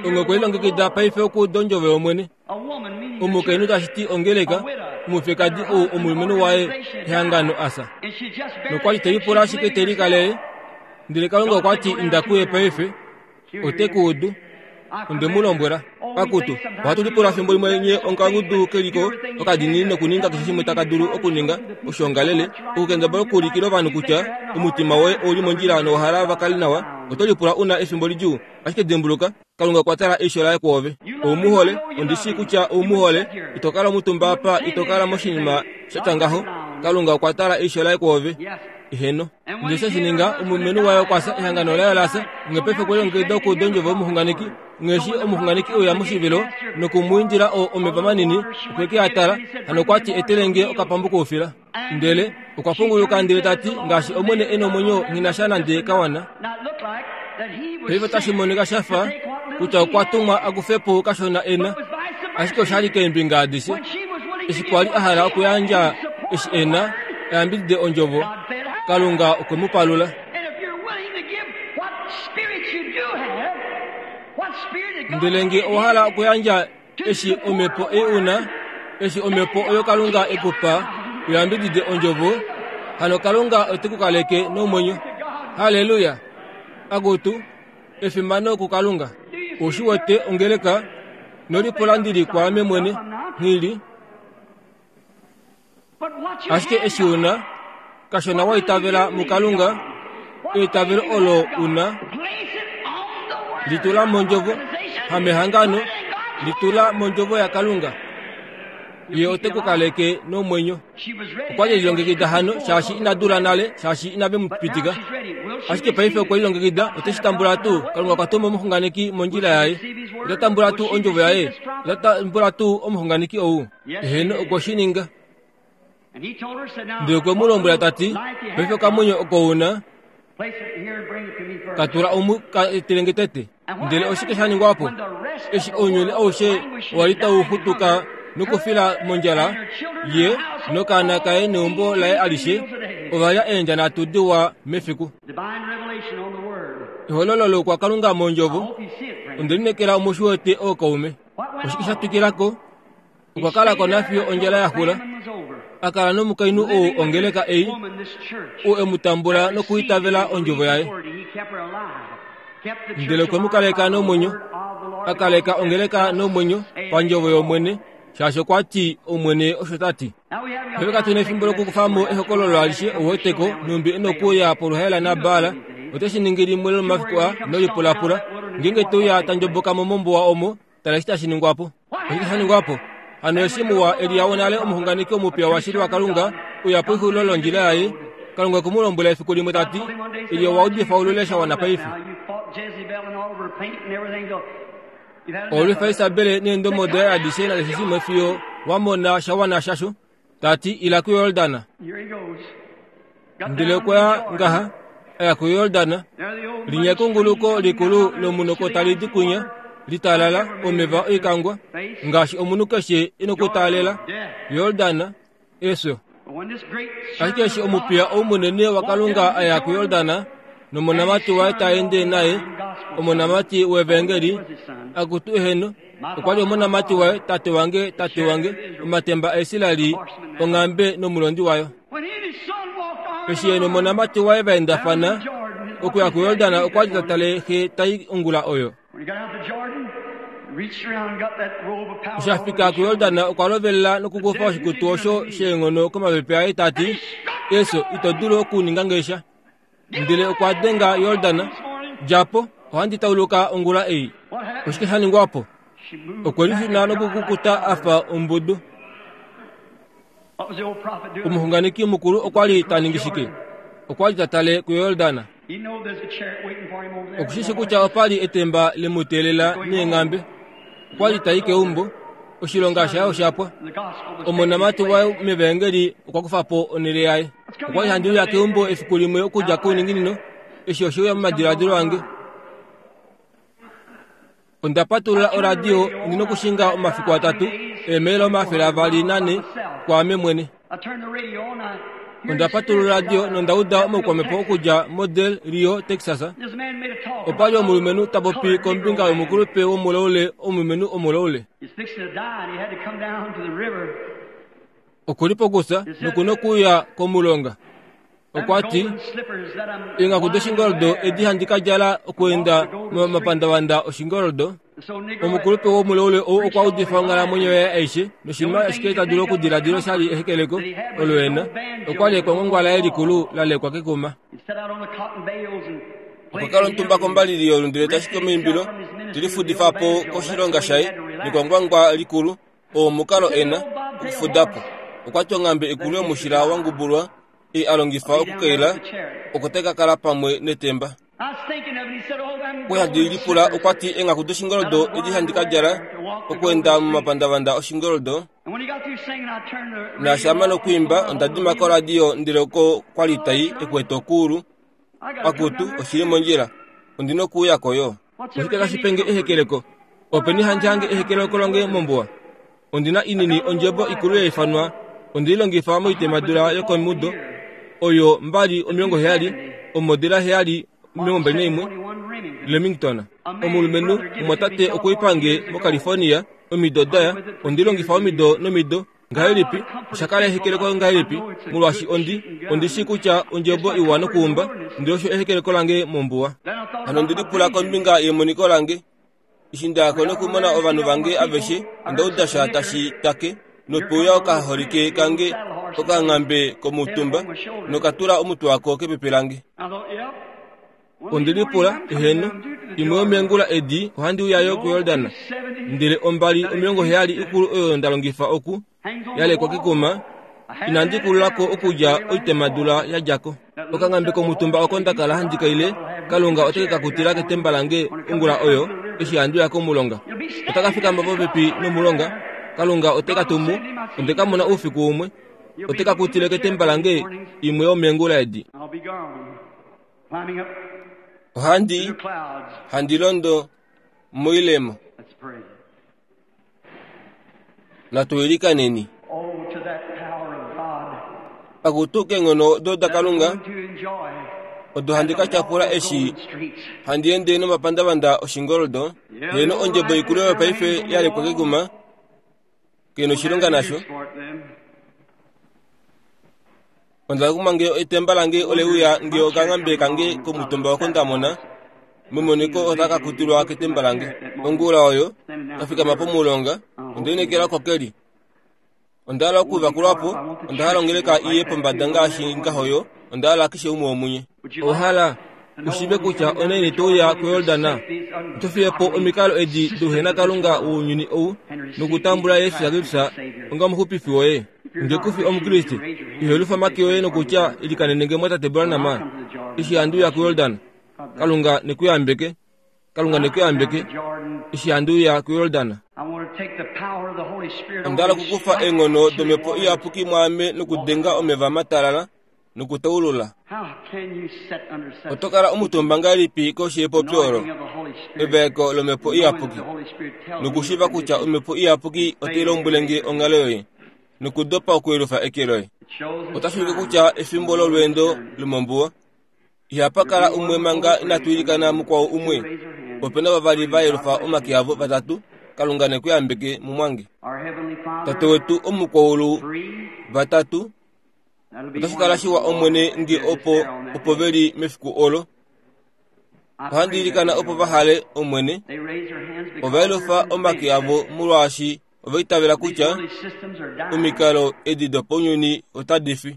onghee okwe lilongekida paife okuuda ondjovo yOmwene. Omukainhu tashi ti ongeleka, omufekadi ou omulumenhu waye ehangano asa. Nokwa li te lipula ashike te likalele, ndele Kalunga okwa ti inda kuye paife, ote ku udu. Onde mu lombwela, akutu, ohatu lipula fimbo limwe nye ongangudu keliko okadinini nokuninga keshe shimwe taka dulu okuninga oshoongalele, okukendabala okuulikila ovanhu kutya omutima woye ouli mondjila nowa hala va kale nawa. Oto lipula u na efimbo lidjuu, ashike dimbuluka, Kalunga okwa tala eisho laye kwoove. Ou mu hole, ondi shii kutya ou mu hole. Ito kala omutumba apa, ito kala moshinima sha tya ngaho. Kalunga okwa tala eisho laye kwoove. Eheno. Ndele she shi ninga, omulumenhu waye okwa fya, ehangano laye ola fya. Onghee paife okwe lilongekida okuuda ondjovo yomuxunganeki. Onghee eshi omuxunganeki e uya moshivilo noku mu indila omeva manini, okwe ke a tala, hano okwa ti, Etele nge okapambu koufila. Ndele okwa punguluka ndele ta ti, ngaashi Omwene e nomwenyo, nghi na sha nande kawana. Paife otashi monika sha fa kutya okwa tumwa a kufe po kashona e na, ashike osha li keembinga adishe. Eshi kwa li a hala okuyandja eshi e na, a yambidide ondjovo, Kalunga okwe mu palula. Ndele nge owa hala okuyandja eshi omhepo ei u na, eshi omhepo oyo Kalunga e ku pa, u yambidide ondjovo, hano Kalunga ote ku kaleke nomwenyo. Halleluya! Akutu, Efimano kuKalunga. Oshi wete ongeleka nolipula ndili kwaame mwene nghili. Ashike eshi una kashona wa itavela muKalunga, eitavelo olo una litula mondjovo, hamehangano, litula mondjovo yaKalunga. Ye ote ku kaleke nomwenyo. Okwa li elilongekida hano shaashi ina dula nale, shaashi inave mu pitika. Ashike paife okwe lilongekida, ote shi tambula tuu. Kalunga okwa tuma omuxunganeki mondjila yaye. Ota tambula tuu ondjovo yaye. Ota tambula tuu omuxunganeki ou. Eheno, okwe shi ninga. Ndele okwe mu lombwela ta ti, paife okamwenyo oko una, ka tula omu ka etelenge tete. Ndele oshike sha ningwa po? Eshi ounyuni aushe owa li tau xutuka nokufila mondjala, ye nokaana kaye neumbo laye alishe ova lya eendja nhatu diwa mefiku. Ehololo lokwaKalunga mondjovo. Onde lineekela omushi wete ookaume. Oshike sha twikila ko? Okwa kala ko nafiyo ondjala ya xula. A kala nomukainhu ou ongeleka ei, ou e mu tambula nokuitavela ondjovo yaye. Ndele okwe mu kaleka nomwenyo, a kaleka ongeleka nomwenyo pandjovo yOmwene, shaashi okwa ti Omwene osho ta ti. Paife katu na efimbo lokukufa mo ehokololo alishe ouweteko nhumbi e nokuuya poluhaela naBaal. Ote shi ningi limwe lomomafiku a nolipulapula. Ngeenge te uya ta ndjoboka mo mombuwa omo, tala eshi tashi ningwa po. Oshike sha ningwa po? Hano eshi muwa Elia wonale omuxunganeki omupya washili waKalunga uya pexulilo londjila yaye, Kalunga okwe mu lombwela efiku limwe ta ti, Elia owa udifa oulule sha wana paife. Owa lwifa Isabel neendomo daye adishe nakeshe shimwe fiyo wa mona sha wana shasho. Ta ti, ila kuYordan. Ndele okwa ya ngaha, a ya kuYordan. Linya ekunguluko likulu lomunoko tali di kunya, litalala omeva oikangwa, ngaashi omunhu keshe e nokutaalela. Yordan, efyo. Ashike eshi omupiya ou munene waKalunga a ya kuYordan, nomonamati waye ta ende naye, omonamati wevangeli, akutu eheno, okwa li omonamati waye, tate wange, tate wange, omatemba aIsraeli, onghambe nomulondi wayo. Eshi ye nomonamati waye va endafana okuya kuYordan, okwa li ta tale xe tai ongula oyo. Eshi a fika kuYordan, okwa lovelela nokukufa oshikutu osho sheenghono komapepe aye ta ti, Eso, ito dulu okuninga nge sha. Ndele okwa denga Yordan, dja po, ohandi tauluka ongula ei. Oshike sha ningwa po? Okwe lishuna nokukukuta a fa ombudu. Omuxunganeki mukulu okwa li ta ningi shike? Okwa li ta tale kuYordan. Oku shi shi kutya opa li etemba le mu teelela neenghambe. Okwa li tai keumbo. Oshilonga shaye osha pwa. Omonamati waye mevangeli okwa kufa po onhele yaye. Okwa li handi uya keumbo efiku limwe okudja kouninginino. Eshi oshe uya momadiladilo ange. Onda patulula oradio ndi nokushinga omafiku atatu, eemaila omafele avali nane kwaame mwene. Onda patulula oradio nonda uda omaukwamhepo okudja moDel Rio, Texas. Opa li omulumenhu ta popi kombinga yomukulupe womulaule, omulumenhu omulaule. Oku li pokufya noku nokuuya komulonga. Okwa ti, eenghaku doshingoldo edi handi ka djala okuenda momapandavanda oshingoldo. Omukulupe womulaule ou okwa udifa onghalamwenyo yaye aishe, noshinima ashike ta dulu okudiladila osha li ehekeleko olo e na. Okwa li ekwangwangwa laye likulu la lekwa kekuma. Okwa kala omutumba kombalili yolundele tashiki omaimbilo, te lifudifa po koshilonga shaye nekwangwangwa likulu, oo omukalo e na okufuda po. Okwa ti onghambe ikulu yomushila wa ngubulwa ei a longifa okukeila, oko tai ka kala pamwe netemba. Okwa li handi lipula, okwa ti eenghaku doshingoldo edi handi ka djala okuenda momapandavanda oshingoldo. Naashi a mana okwiimba, onda dima koradio ndele oko kwa li tai ekwete okuulu. Akutu, oshili mondjila. Ondi nokuuya ko yo. Oshike tashi pe nge ehekeleko? Openi handi hange ehekeleko lange mombuwa? Ondi na inini ondjebo ikulu ya ifanwa, onde i longifa moitemadula yokomudo oyo mbali omilongo heyali, omodela heyali omilongo mbali naimwe, Lemington. Omulumenhu omwatate okwe i pange moCalifornia omido daya, onde i longifa omido nomido, Ngahelipi osha kala ehekeleko ngahelipi molwaashi ondi ondi shii kutya ondjebo iwa nokuumba ndele osho ehekeleko lange mombuwa. Hano ondi lipula kombinga yemoniko lange. Eshi ndayako nokumona ovanhu vange aveshe onda uda sha tashi take nopeuya okaholike kange okanghambe komutumba nokatula omutwe wako kepepe lange. Ondi lipula eheno imwe yomeengula edi ohandi uya yo kuYordan ndele ombali omilongo heyali ikulu oyo nda longifa oku yalekwa kekuma inandi kululako okudja oitemadula ya djako. Okanghambe komutumba oko nda kala handi kaile Kalunga oteke ka kutila ketemba lange ongula oyo eshi handi uya komulonga. Otaka fikama popepi nomulonga Kalunga oteka tumu onde ka mona oufiku umwe oteka kutile ketemba lange imwe yomeengula edi. Ohandi handi londo moilemo. Natu ilikaneni. Akutu keenghono do daKalunga odo handi ka tyapula eshi handi ende nomapandavanda oshingoldo heeno ondjebo ikulu oyo paife yalekwa kekuma kena oshilonga nasho. Onda kuma nge etemba lange oleuya nge okanghambe kange komutumba oko nda mona memoniko otaka kutilwa ketemba lange. Ongula oyo kafikama pomulonga onda inekela kokeli. Onda hala okuvakulwapo onda hala ongeleka iye pombada ngaashi ngahoyo onda hala keshe umwe womunye. Ohala ushive kutya onaini touya kuYordana oto fiye po omikalo edi douhena Kalunga wounyuni ou nokutambula Yesu Kristus onga omuxupifi woye. Nge kufi omukriste ihelufa make yoye nokutya ilikanene mwatate Branham eshi handi uya kuYordan. Kalunga nekuyambeke. Kalunga nekuyambeke eshi handi uya kuYordan. Onda hala okukufa eenghono domhepo iyapuki mwaame nokudenga omeva matalala nokutaulula. Oto kala omutumba ngahelipi koshi yepopyo olo evaeko lomhepo iyapuki nokushiiva kutya omhepo iyapuki otai lombwele nge onghalo yoye nokudopa okuyelufa eke loye. Otashi ulike kutya efimbo lolweendo lomombuwa ihapa kala umwe manga inatu ilikana mukwao umwe. Opena vavali va yelufa omake avo vatatu. Kalunga nekuyambeke mumwange. Tate wetu omukwaulu vatatu otashi kala shiwa Omwene nge opo opo veli mefiku olo. Ohandi ilikana opo vahale Omwene. Ova yelufa omake avo molwaashi ova itavela kutya omikalo edi dopounyuni otadi fi.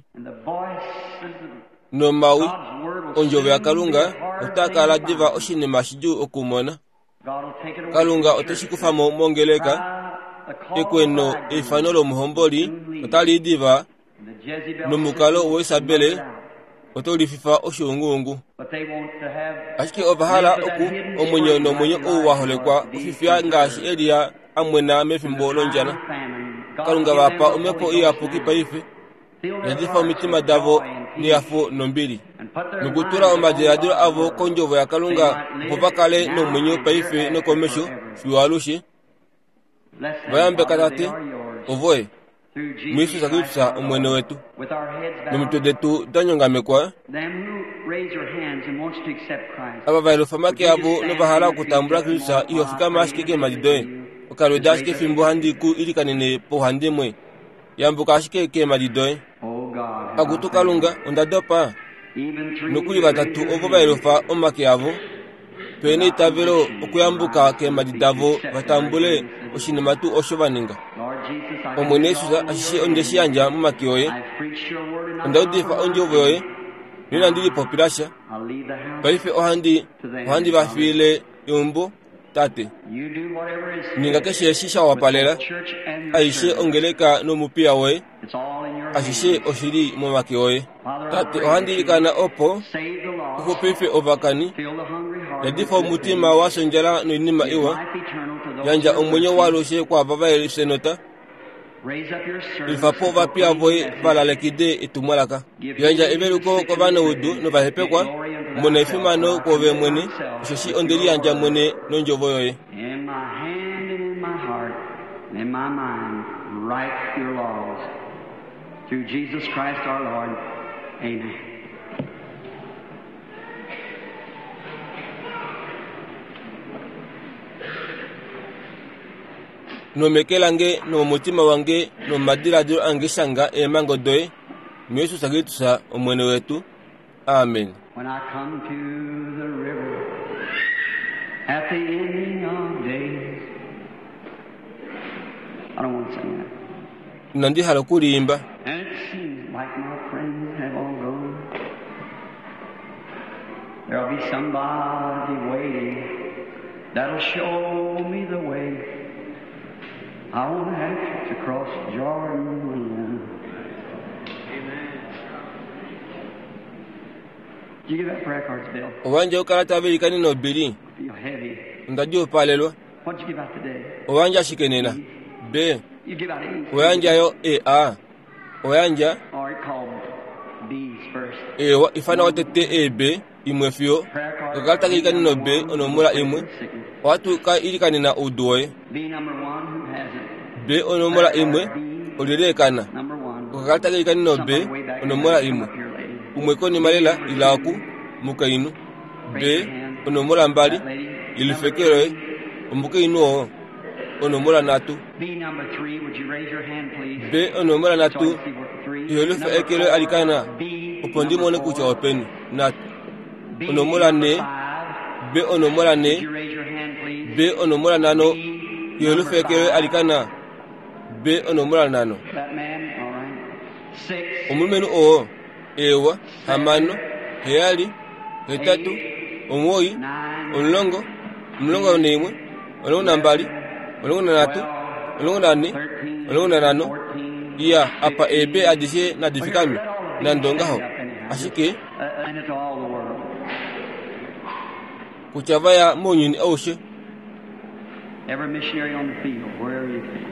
Nomawi ondjovo yaKalunga otaa kala diva oshinima shidjuu okumona. Kalunga oteshi kufa mo mongeleka. Ekweno eifano lomuhomboli otali diva nomukalo woIsabele oto lififa oshuunguungu. Ashike ova hala oku omwenyo nomwenyo ou wa holekwa ofifya ngaashi Elia amwena mefimbo londjala. Kalunga vapa omhepo iyapuki paife yadifa omitima davo nehafo nombili nokutula omadiladilo avo kondjovo yaKalunga opo va kale nomwenyo paife nokomesho fiyo alushe. Vayambeka Tate ovoye muYesu Kristus Omwene wetu. Nomitwe detu da nyongamekwa ava va yelufa omake avo novahala okutambula Kristus iho fikama ashike keemhadi doye. Okalweda ashike fimbo handi ku ilikanene pauhandimwe. Yambuka ashike keemhadi doye. Akutu Kalunga onda dopa. Nokuli vatatu ovo va yelufa omake avo pene eitavelo okuyambuka keemhadi davo vatambule oshinima tuu osho va ninga. Omwene Yesus ashishe onde shi yandja momake oye. Onda udifa ondjovo yoye noinandi lipopila sha. Paife ohandi ohandi va fiile eumbo Tate. Ninga keshe eshi sha wapalela aishe ongeleka nomupiya woye. Ashishe oshili momake oye. Tate ohandi ilikana opo uxupife ovakani yadifa omutima wa ondjala noinima iwa. Yandja omwenyo waalushe kwaava va senota. Lifa po ovapiya voye va lalekide etumwalaka. Yandja eveluko kovanaudu novahepekwa. Mona efimano kwoove mwene osheshi onde liyandja mwene nondjovo yoye. In my hand and in my heart and in my mind, write your laws. Through Jesus Christ our Lord. Amen. Nomeke lange nomomutima wange nomomadiladilo ange shanga eemhango doye muJesus Kristus Omwene wetu. Amen. When I come to the river at the ending of days. I don't want to sing that. Inandi hala okuliimba. And it seems like my friends have all gone. There'll be somebody waiting that'll show me the way. I won't have to cross Jordan alone. Amen. Did you give that prayer cards, Bill? Owandja okalata velikaneno Billy. Feel heavy. Onda djuupalelwa. What'd you give out today? Owandja ashike nena. B. You give out A's. Oyandja yo E A. Oyandja Or it called B's first. ewa ifana watete E B imwe fiyo. Prayer card. Okakalata kelikaneno B onomola imwe. Ohatu ka ilikanena oudu woye. B number one, who has it? B onomola imwe olilekana. Number one. Okakalata kelikaneno B Somebody way back onomola there. imwe. Come up here, lady. Umwe konima lela ila oku mukainhu. B onomola mbali That lady. ilifeke loye. Omukainhu oo onomola nhatu. B number three, would you raise your hand, please? B onomola So I nhatu can see where three. iholifa Number eke loye four, alikana B opo ndi number mone kutya four. openi. Nhatu. B onomola number nhe. five. B onomola Would nhe. you raise your hand, please? B onomola nhano B number iholifa eke loye five. alikana. B onomola nhano. That man, all right. Six, Omulumenhu oo ewa hamano heyali hetatu omuwoi nine, omulongo omulongo naimwe omulongo nambali omulongo nanhatu omulongo nane thirteen, omulongo nanhano fourteen, iya apa eebe adishe nadifikame nande ongaho ashike uh, and it's all the world. kutya vaya mounyuni aushe. Every missionary on the field, wherever you can.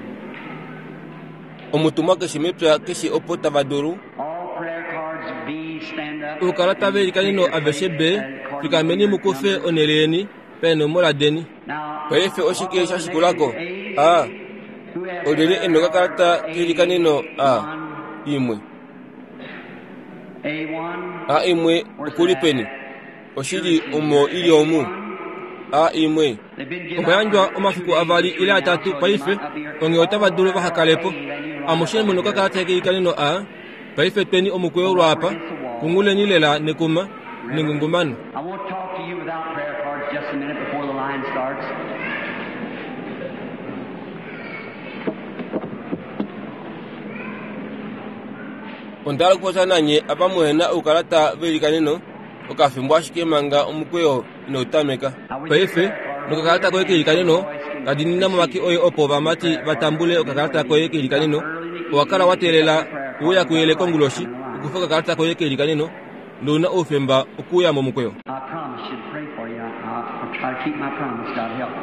Omutumwa keshe mepya keshe opo tava dulu. All prayer cards B stand up. Oukalata velikaneno aveshe B fikameni mukufe onhele yeni paenomola deni. Now, Paife oshike sha shikulako? A. who has Olyelye ena okakalata kelikaneno A one, imwe. A one? A imwe okuli peni? Oshili omo ili omu. A imwe. They've been given Okwa yandjwa out omafiku two days, avali three ile now, atatu so they paife might not be here. onghee otava dulu vahakalepo. A, then you line Amushe up muna here. okakalata kelikaneno A. Paife tweni omukweyo lwapa kunguleni lela nekuma nengungumano. I won't talk to you without prayer cards just a minute before the line starts. Onda hala okupopya nanye apa muhena oukalata velikaneno okafimbo ashike manga omukweyo inautameka. Paife nokakalata koye kelikaneno kadinina momake oye opo ovamati vatambule okakalata koye kelikaneno. Owakala wateelela uuya kuyele konguloshi okufa okakalata koye kelikaneno nouna oufemba okuuya momukweyo. I promise you to pray for you. I, I'll, I'll try to keep my promise. God help me.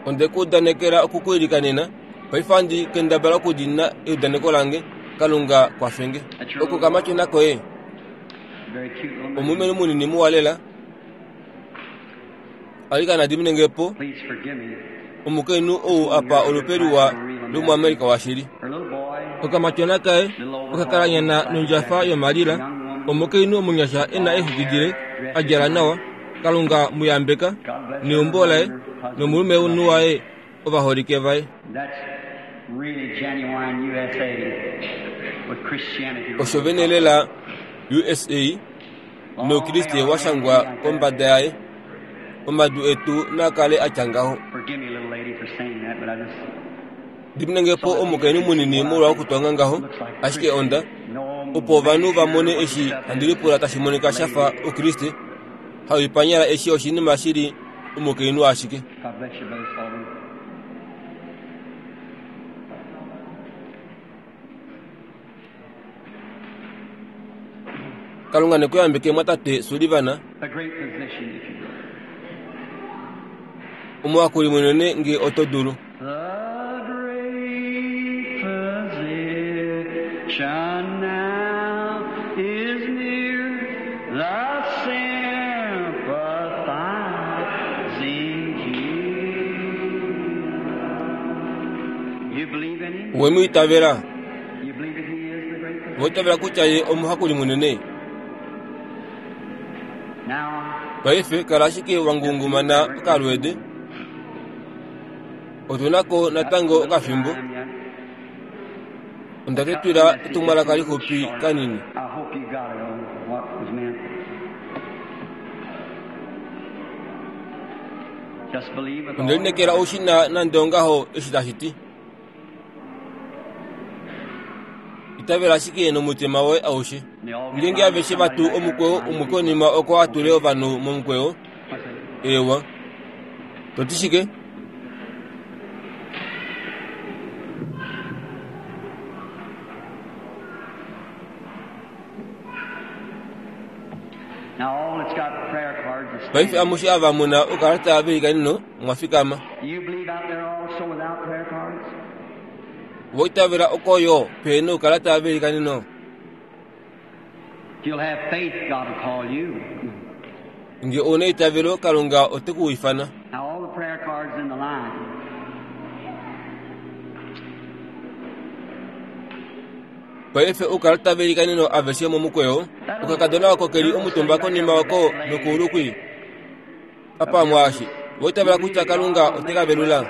Onde ku udanekela okukuilikanena paife ohandi kendabala okudiinina eudaneko lange. Kalunga kwafenge. Oko kamatyona koye. Very cute little man. Omulumenhu munini muwa lela. Alikana diminengepo Please forgive me. omukainhu ou apa olupe luwa lomuAmerika washili. Her little boy, Okamatyona kaye okakalanyana nondjafa yomalila. Omukainhu omunyasha ena exwiki dile a djala nawa. Kalunga muyambeka neumbo laye nomulumenhu waye ovaholike vaye. that's really genuine U S A with Christianity. Osho vene lela U S A noukriste washangwa kombada yaye. Omadu etu nakale atya ngaho. Forgive me, little lady, for saying that, but I just Diminengepo omukainhu munini molwa okutwanga ngaho ashike onda opo ovanhu vamone eshi handi lipula tashi monika shafa oukriste hauipanyala eshi oshinima shili omukainhu ashike. God bless you, Brother Sullivan. Kalunga nekuyambeke mwatate Sullivan. A great physician, if you will. Omuhakuli munene nge oto dulu. The great physician now is near, the sympathizing healer. You believe in him? We mu itavela. You believe that he is the great physician? Owa itavela kutya ye omuhakuli munene. Paife kala ashike wangungumana okalweede. Otunako natango okafimbo. Onda tetwila etumwalaka lixupi kanini. Onde lineekela oushina nande ongaho eshi tashi ti. Itavela ashike nomutima woye aushe. Ngeenge aveshe vatu omukweyo umwe konima oko a tule ovanhu momukweyo, eewa. Toti shike? Paife amushe ava muna oukalata veilikaneno omwa fikama. Owa itavela oko yo pehena oukalata veilikaneno? Nge ouna eitavelo, Kalunga ote ku ifana. Paife oukalata veilikaneno aveshe momukweyo, okakadona oko keli omutumba konima oko nokuulu kwii. Apa mwaashi, owa itavela kutya Kalunga ote ka velula?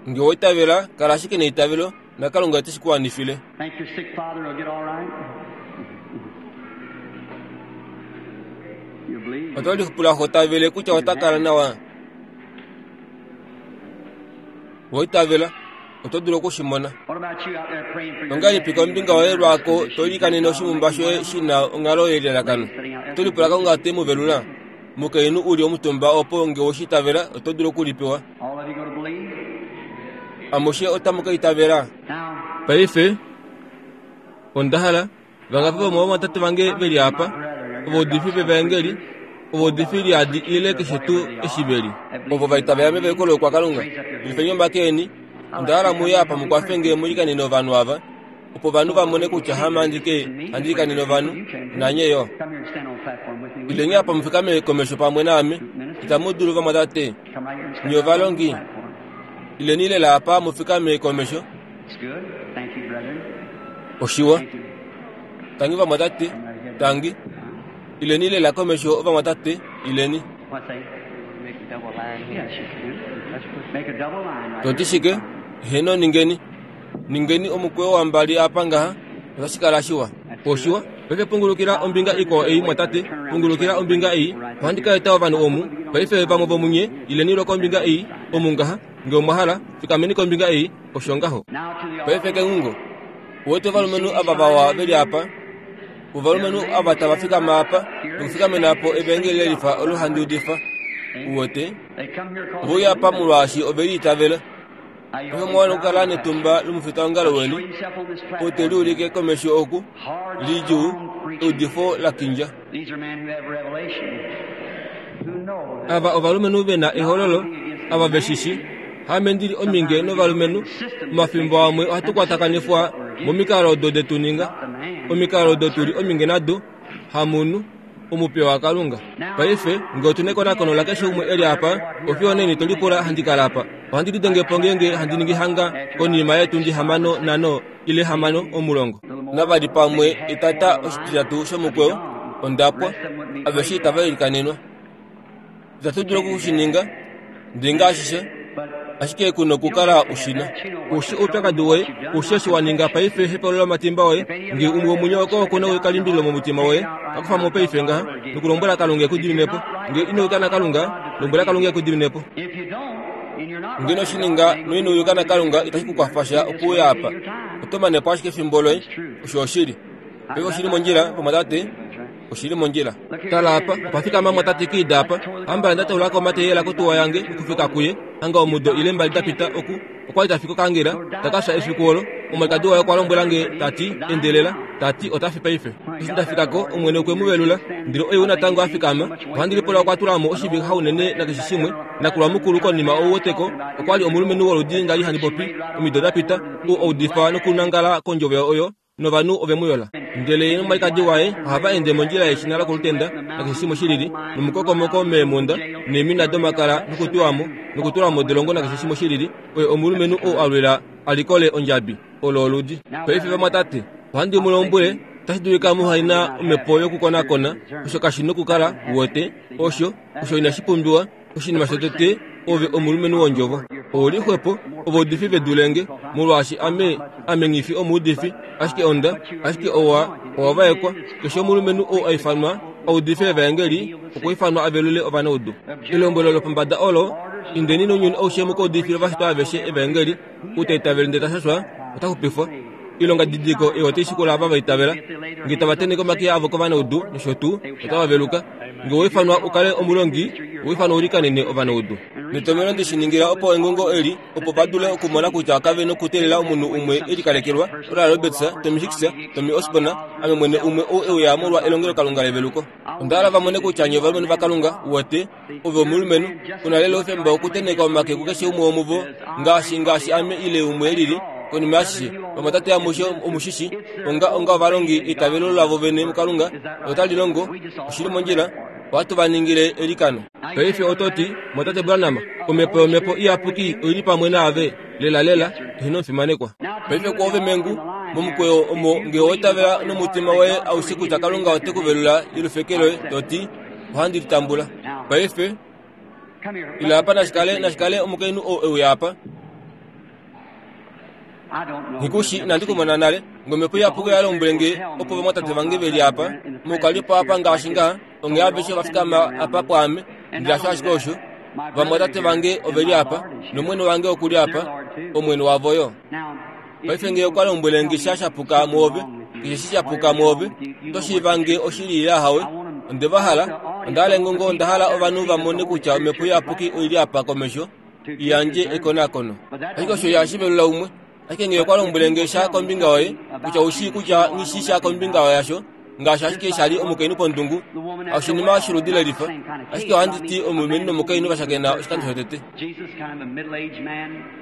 Nge owa itavela, kala ashike neitavelo, naKalunga ote shi ku wanifile. Oto lipula ho tavele kutya ota kala nawa? Owa itavela, oto dulu oku shi mona. Ongahelipi kombinga yoye lwaako to ilikanene oshimumba shoye shi na onghalo yelalakano? Oto lipula Kalunga ote mu velula? Mukainhu u li omutumba opo nge owe shi itavela, oto dulu okulipewa. Amushe otamu ka itavela. Paife, onda hala vangapi vomovamwatate vange ve li apa, ovaudifi vevaengeli, ovaudifi liadi ile keshe tuu eshi ve li, ovo va itavela meveluko loukwakalunga, yelifeni omake eni. Onda hala mu ye apa mu kwafe nge mu ilikanene ovanhu ava, opo ovanhu va mone kutya hame andike handi ilikanene ovanhu, nanye yo. Ileni apa mu fikame komesho pamwe naame. Itamu dulu vamwatate, nye ovalongi. Ileni lela apa mu fikame komesho. Oshiwa. Tangi vamwatate, tangi. Ileni lela komesho ovamwatate, ileni. Toti shike? Heeno ningeni. Ningeni omukweyo wambali apa ngaha, otashi kala shiwa. Oshiwa. Paife pungulukila ombinga ikwao ei mwatate, pungulukila ombinga ei. Ohandi ka eta ovanhu omu. Paife vamwe vomunye, ileni lwokombinga ei, omu ngaha, nge omwa hala, fikameni kombinga ei, osho ngaho. Paife kengungo, uwete ovalumenhu ava vawa ve li apa, ovalumenhu ava tava fikama apa, nokufikamena po evaengeli lelifa olo handi udifa. Uwete, ove uya apa molwaashi ove li itavela. Paife omwa wana okukala netumba lomufitaongalo weni, oo te liulike komesho oku, lidjuu, eudifo la kindja. Ava ovalumenhu ve na ehololo, ava ve shi shi. Haame ndi li ominge novalumenhu, omafimbo amwe ohatu kwatakanifwa momikalo odo detu ninga, omikalo odo tu li ominge nado, hamunhu, omupiya waKalunga. Paife, nge otu nekonakono lakeshe umwe e li apa, ofiyo neni to lipula handi kala apa. Ohandi lidenge po ngeenge handi ningi hanga konima yeetundi hamano nhano ile hamano omulongo. Navali pamwe etata oshititatu shomukweyo, onda pwa. Aveshe itava ilikanenwa. Itatu dulu oku shi ninga, ndinga ashishe, ashike ku nokukala u shi na. Ushi oupyakadi woye, ushi eshi wa ninga paife hepaulula omatimba oye, nge umwe womunye oko oku na ekalimbililo momutima woye, ka kufa mo paife ngaha, nokulombwela Kalunga e ku dimine po. Nge ino yuka naKalunga, lombwela Kalunga e ku dimine po. Nge ino shi ninga noino yuka naKalunga, itashi ku kwafa sha okuuya apa. Oto mane po ashike efimbo loye. Osho oshili. Paife oshi li mondjila, vamwatate. Oshi li mondjila. Tala apa, opa fikama mwatate Kidd apa. Hamba nda taula ko omateyela kotuwa yange okufika kuye, hanga omudo ile mbali da pita oku, okwa li ta fi kokangela, ta ka fya efiku olo. Omwalikadi waye okwa lombwela nge, ta ti, Endelela, ta ti, ota fi paife. Eshi nda fika ko, Omwene okwe mu velula, ndele oye ou natango a fikama. Ohandi lipula okwa tula mo oshivixa unene nakeshe shimwe. Nakulwa mukulu konima ou weteko, okwa li omulumenhu woludi nda li handi popi, omido da pita, ou a udifa nokunangala kondjovo oyo, novanhu ove mu yola. Ndele ye nomwalikadi waye ohava ende mondjila yeshina lokolutenda nakeshe shimwe shi lili, nomukokomoko meemhunda neemina domakala nokutuwa mo, nokutula modolongo nakeshe shimwe shilili, oye omulumenhu ou a lwila a likole ondjabi, olo oludi. Paife vamwatate, ohandi mu lombwele, otashi dulika muhaina omhepo yokukonakona, osho kashi nokukala uwete, osho, osho inashi pumbiwa. Oshinima shotete, ove omulumenhu wondjovo. Ouli xwepo, ovaudifi vedulenge, molwaashi ame, ame nghi omuudifi, ashike onda, ashike owa, owa vaekwa. Keshe omulumenhu ou a ifanwa audife evaengeli, okwa ifanwa avelule ovanaudu. Elombwelo lopombada olo, indeni nounyuni aushe mukaudifile ovashitwa aveshe evaengeli, ou ta itavele ndele ta shashwa, ota xupifwa. Ilonga didiko ei otai shikula ava va itavela, nge tava tenheke omake avo kovanaudu nosho tuu, otava veluka. Nge owa ifanwa u kale omulongi, owa ifanwa u likanene ovanaudu. Netomhelo ndi shi ningila opo engongo eli, opo va dule okumona kutya kave nokuteelela omunhu umwe e likalekelwa, Oral Roberts, Tommy Hicks, Tommy Osborn, ame mwene umwe ou e uya molwa elongelokalunga leveluko. Onda hala va mone kutya nye ovalumenhu vaKalunga, uwete, ove omulumenhu, u na lela oufemba wokutenheka omake kukeshe umwe womuvo, ngaashi ngaashi ame ile umwe elili. Konima yashishe, vamwatate amushe omushishi, onga onga ovalongi eitavelo lavo vene muKalunga, otali longo, oshili mondjila, ohatu va ningile elikano. Paife oto ti, Mwatate Branham, omhepo yomhepo iyapuki oili pamwe naave, lela lela, eheno omufimanekwa. Paife kwoove mengu, momukweyo omo nge owa itavela nomutima woye aushe kutya Kalunga ote ku velula yelufeke loye, to ti, ohandi litambula. Paife, ila apa nashikale nashikale omukainhu ou e uya apa. Nghikushi inandi kumona nale, ngomhepo iyapuki oya lombwele nge opo vamwatate vange veli apa, moukalipo apa ngaashi ngaha, onghee aveshe ova fikama apa pwaame, ndele hasho ashike osho, vamwatate vange oveli apa, nomwene wange okuli apa, omwene wavo yo. Paife nge okwa lombwele nge sha shapuka mwoove, keshe shi shapuka mwoove, oto shiiva nge oshili ile ahawe, onde va hala, onda hala engongo, onda hala ovanhu va mone kutya omhepo iyapuki oili apa komesho, i yandje ekonakono. Ashike osho ihashi velula umwe. Ashike nge okwa lombwele nge sha kombinga yoye, kutya ou shii kutya nghi shii sha kombinga yasho, ngaashi ashike sha li omukainhu pondungu, oshinima sholudi lelifa. Ashike ohandi ti omulumenhu nomukainhu va shakena oshikando shotete.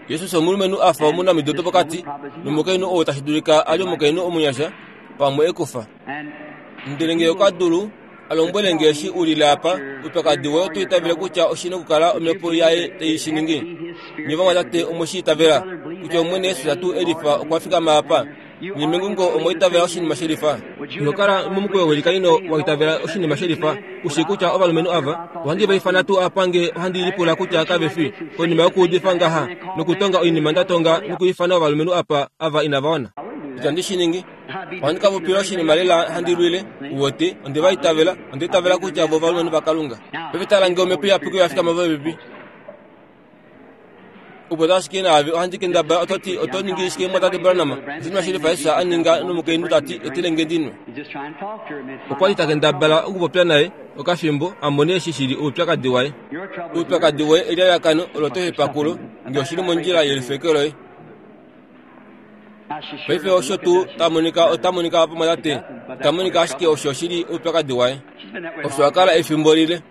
Jesus omulumenhu a fa omunamido dopokati, nomukainhu ou tashi dulika a li omukainhu omunyasha, pamwe ekufa. Ndele nge okwa dulu a lombwele nge eshi u lile apa, oupyakadi woye oto itavele kutya oshi nokukala omhepo yaye tai shi ningi. Nye vamwatate omwe shi itavela kutya Omwene Jesus tuu elifa okwa fikama apa. Nye mengungo omwa itavela oshinima shelifa. Ino kala momukweyo welikanino wa itavela oshinima shelifa, u shii kutya ovalumenhu ava ohandi va ifana tuu apa nge ohandi lipula kutya kave fi, konima yokuudifa ngaha nokutonga oinima nda tonga nokuifana ovalumenhu apa ava inava wana. Itandi shi ningi. Ohandi ka popila oshinima lela handi lwile, uwete, onde va itavela, onda itavela kutya vo ovalumenhu vaKalunga. Paife tala nge omhepo iyapuki oya fikama popepi. Opo ashike naave ohandi kendabala oto ti oto ningi shike mwatate Branham, oshinima shilifa Jesus a ninga nomukainhu ta ti etele nge ndinwe. Okwa li ta kendabala okupopya naye okafimbo a mone eshi shili oupyakadi waye. Oupyakadi woye eliayakano olo to hepa kulo, nge oshili mondjila yelifeke loye. Paife osho tuu ta monika ota monika apa mwatate, ta monika ashike osho shili oupyakadi waye. Osho a kala efimbo lile.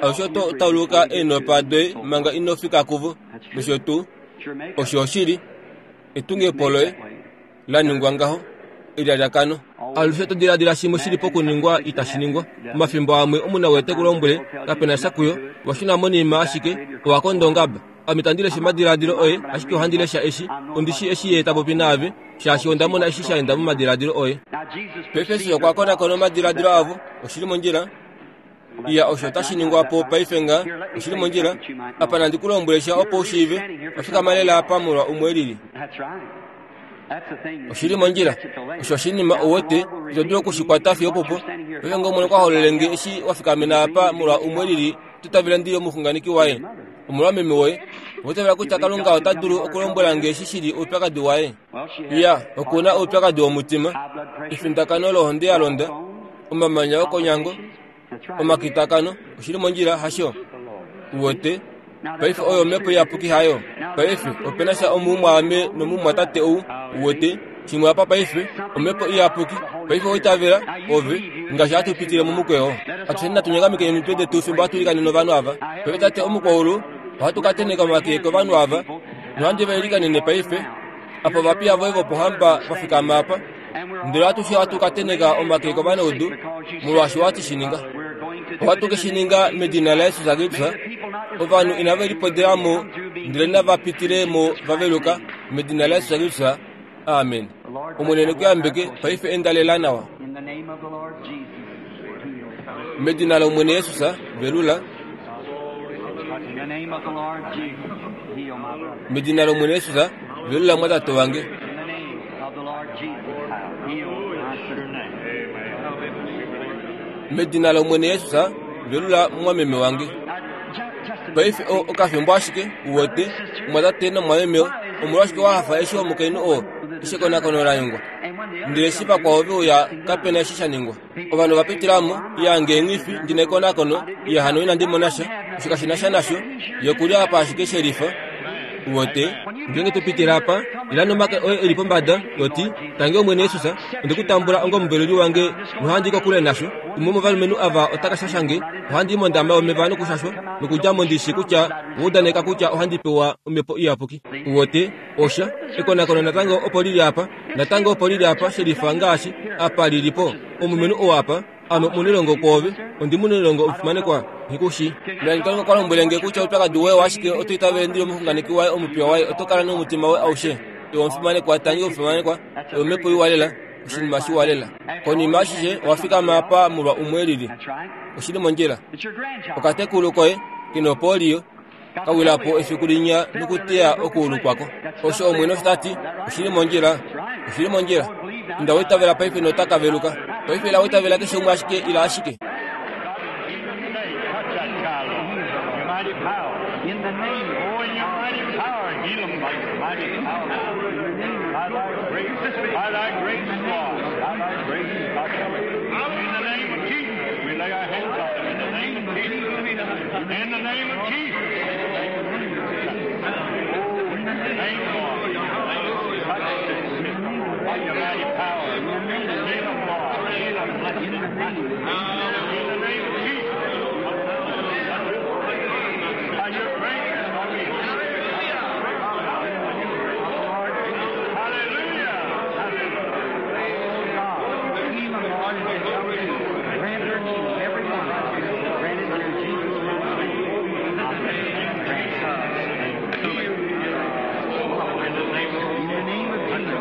Osho to tauluka eenopa doye manga ino fika kuvo, nosho tuu, osho oshili, etungepo loye la ningwa ngaho, elialyakano. Alushe to diladila shimwe shili pokuningwa itashi ningwa. Omafimbo amwe omunawete te ku lombwele kapena sha kuyo, wa shuna monima ashike, owa konda ongaba. Ame itandi lesha omadiladilo oye, ashike ohandi lesha eshi, ondi shii eshi ye ta popi naave, shaashi onda mona eshi sha enda momadiladilo oye. Paife Jesus okwa konakona omadiladilo avo, oshili mondjila. Iya, osho otashi ningwa po paife nga, oshili mondjila. Apa nandi ku lombwele sha opo u shiive, wa fikama lela apa molwa umwe elili. Oshili mondjila. Osho oshinima uwete, ito dulu okushikwata fiyo opopo. Paife nge Omwene okwa hololele nge eshi wa fikamena apa molwa umwe elili, oto itavela ndi omuxunganeki waye, omolwa meme woye. Owa itavela kutya Kalunga ota dulu okulombwela nge eshi shili oupyakadi waye? Iya, oku na oupyakadi womutima, efindakano lohonde ya londa, omamanya okonyango, omakitakano, oshili mondjila, hasho? Uwete, paife oyo omhepo iyapuki hayo. Paife opena sha omumwaame nomumwatate ou, uwete, shimwe apa paife, omhepo iyapuki. Paife owa itavela, ove, ngaashi hatu pitile momukweyo. Atusheni natu nyangamike omitwe detu fimbo hatu likanene ovanhu ava. Paife Tate omukwaulu, ohatu ka tenheka omake kovanhu ava, nohandi va ilikanene paife, apa ovapiya voye vopohamba va fikama apa, ndele atushe ohatu ka tenheka omake kovanaudu, molwaashi owati shi ninga. Ohatu ke shi ninga medina laJesus Kristus, Ovanhu inave lipodelamo ndele nava pitilemo vaveluka medina laJesus Kristus. Amen. Omwene nekuyambeke paife endalela nawa. In the name of the Lord Jesus, heal. Medina lOmwene Jesus velula. In the name of the Lord Jesus, heal my brother. Medina lOmwene Jesus velula mwatate wange. In the name of the Lord Jesus, heal my sister. Medina lOmwene Jesus velula mwameme wange. Now, ju- just a Paife o okafimbo ashike uwete mwatate nomwameme omolwashike wahafa eshi omukainhu oo eshi ekonakono la ningwa. And when the Ndele eshi vakwao veuya kapena eshi sha ningwa. Ovanhu va pitilamo yange enghifi ndina ekonakono ye hano inandi mona sha osho kashina sha nasho ye apa ashike shelifa. Uwete ngenge tupitila apa ila nomake oye eli pombada yoti tange Omwene Jesus onde kutambula onga omuveluli wange nohandi kokule nasho. Umwe womovalumenhu ava ota shashange ohandi mondama yomeva nokushashwa nokudjamo ndishi kutya oudaneka kutya ohandi pewa omhepo iyapuki. Uwete osha ekonakono natango opo lili apa natango opo lili apa shelifa ngaashi apa lilipo omulumenhu oo apa ame omunelongo kwoove ondi munelongo omufimanekwa nghikushi. Nani Kalunga kwa lombwele nge kutya oupyakadi woye washike oto itavele ndili omuxunganeki waye omupiya waye oto kala nomutima woye aushe. Iwe omufimanekwa tangi omufimanekwa iwe omhepo iwa lela oshinima shiwa lela. Konima ashishe owafikama apa molwa umwe lili. That's right. Oshili mondjila. It's your grandchild. Okatekulu koye kena opolio kawilapo efiku linya nokuteya okuulu kwako. Osho Omwene osho tati oshili mondjila. Oshili mondjila. Inda weitavela paife nota kaveluka. Paife ila weitavela keshe umwe ashike ila ashike. Touch that child, Lord. Your mighty power. In the name Oh, in your mighty power, heal him by your mighty power. By thy grace, by thy grace, Lord. By thy grace, touch him. In the name of Jesus, we lay our hands on him. In the name of Jesus. In the name of Jesus. Oh, in the name, Lord. In the name, touch this sick by your mighty power. Heal him, Lord. Heal him. Bless him. In the name of Jesus. By your grace, Lord, we Hallelujah. God, heal them, Lord, and they shall receive. Grant their needs, every one. Grant it through Jesus Christ's name. Amen. Grant In the name of In the name of Jesus.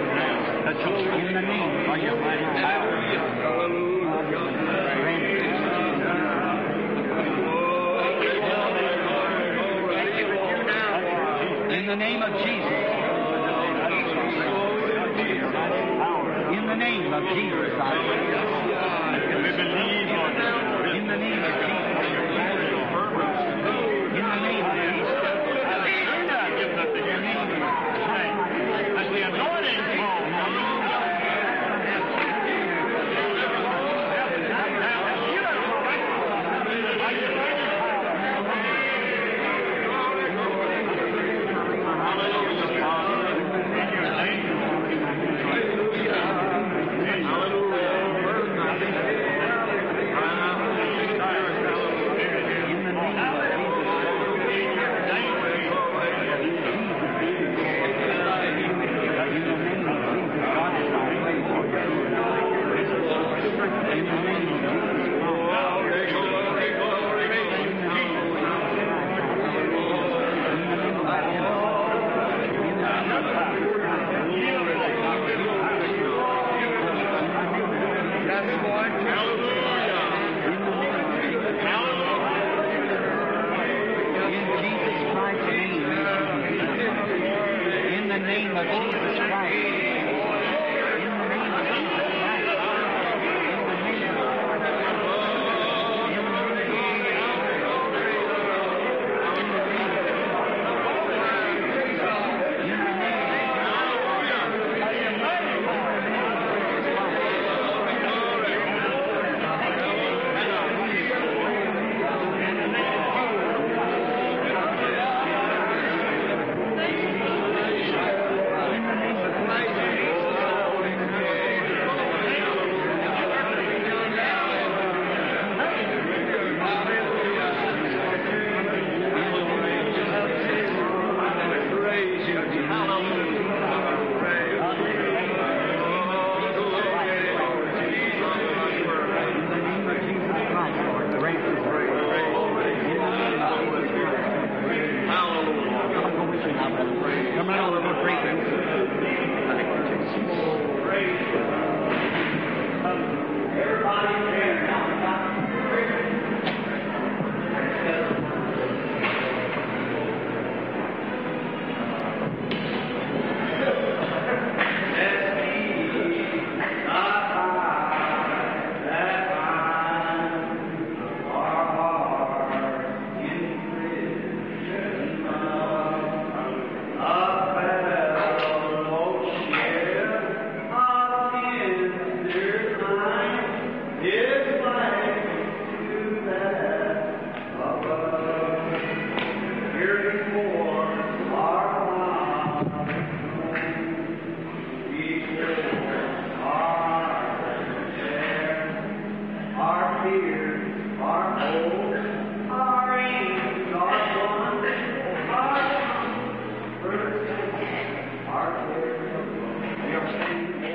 In the name by your mighty power. Grant it. In the name of Jesus. In the name of Jesus, I pray. We believe on you. In the name of Jesus. In the name of Jesus. Hallelujah. Give that to you. As the anointing falls.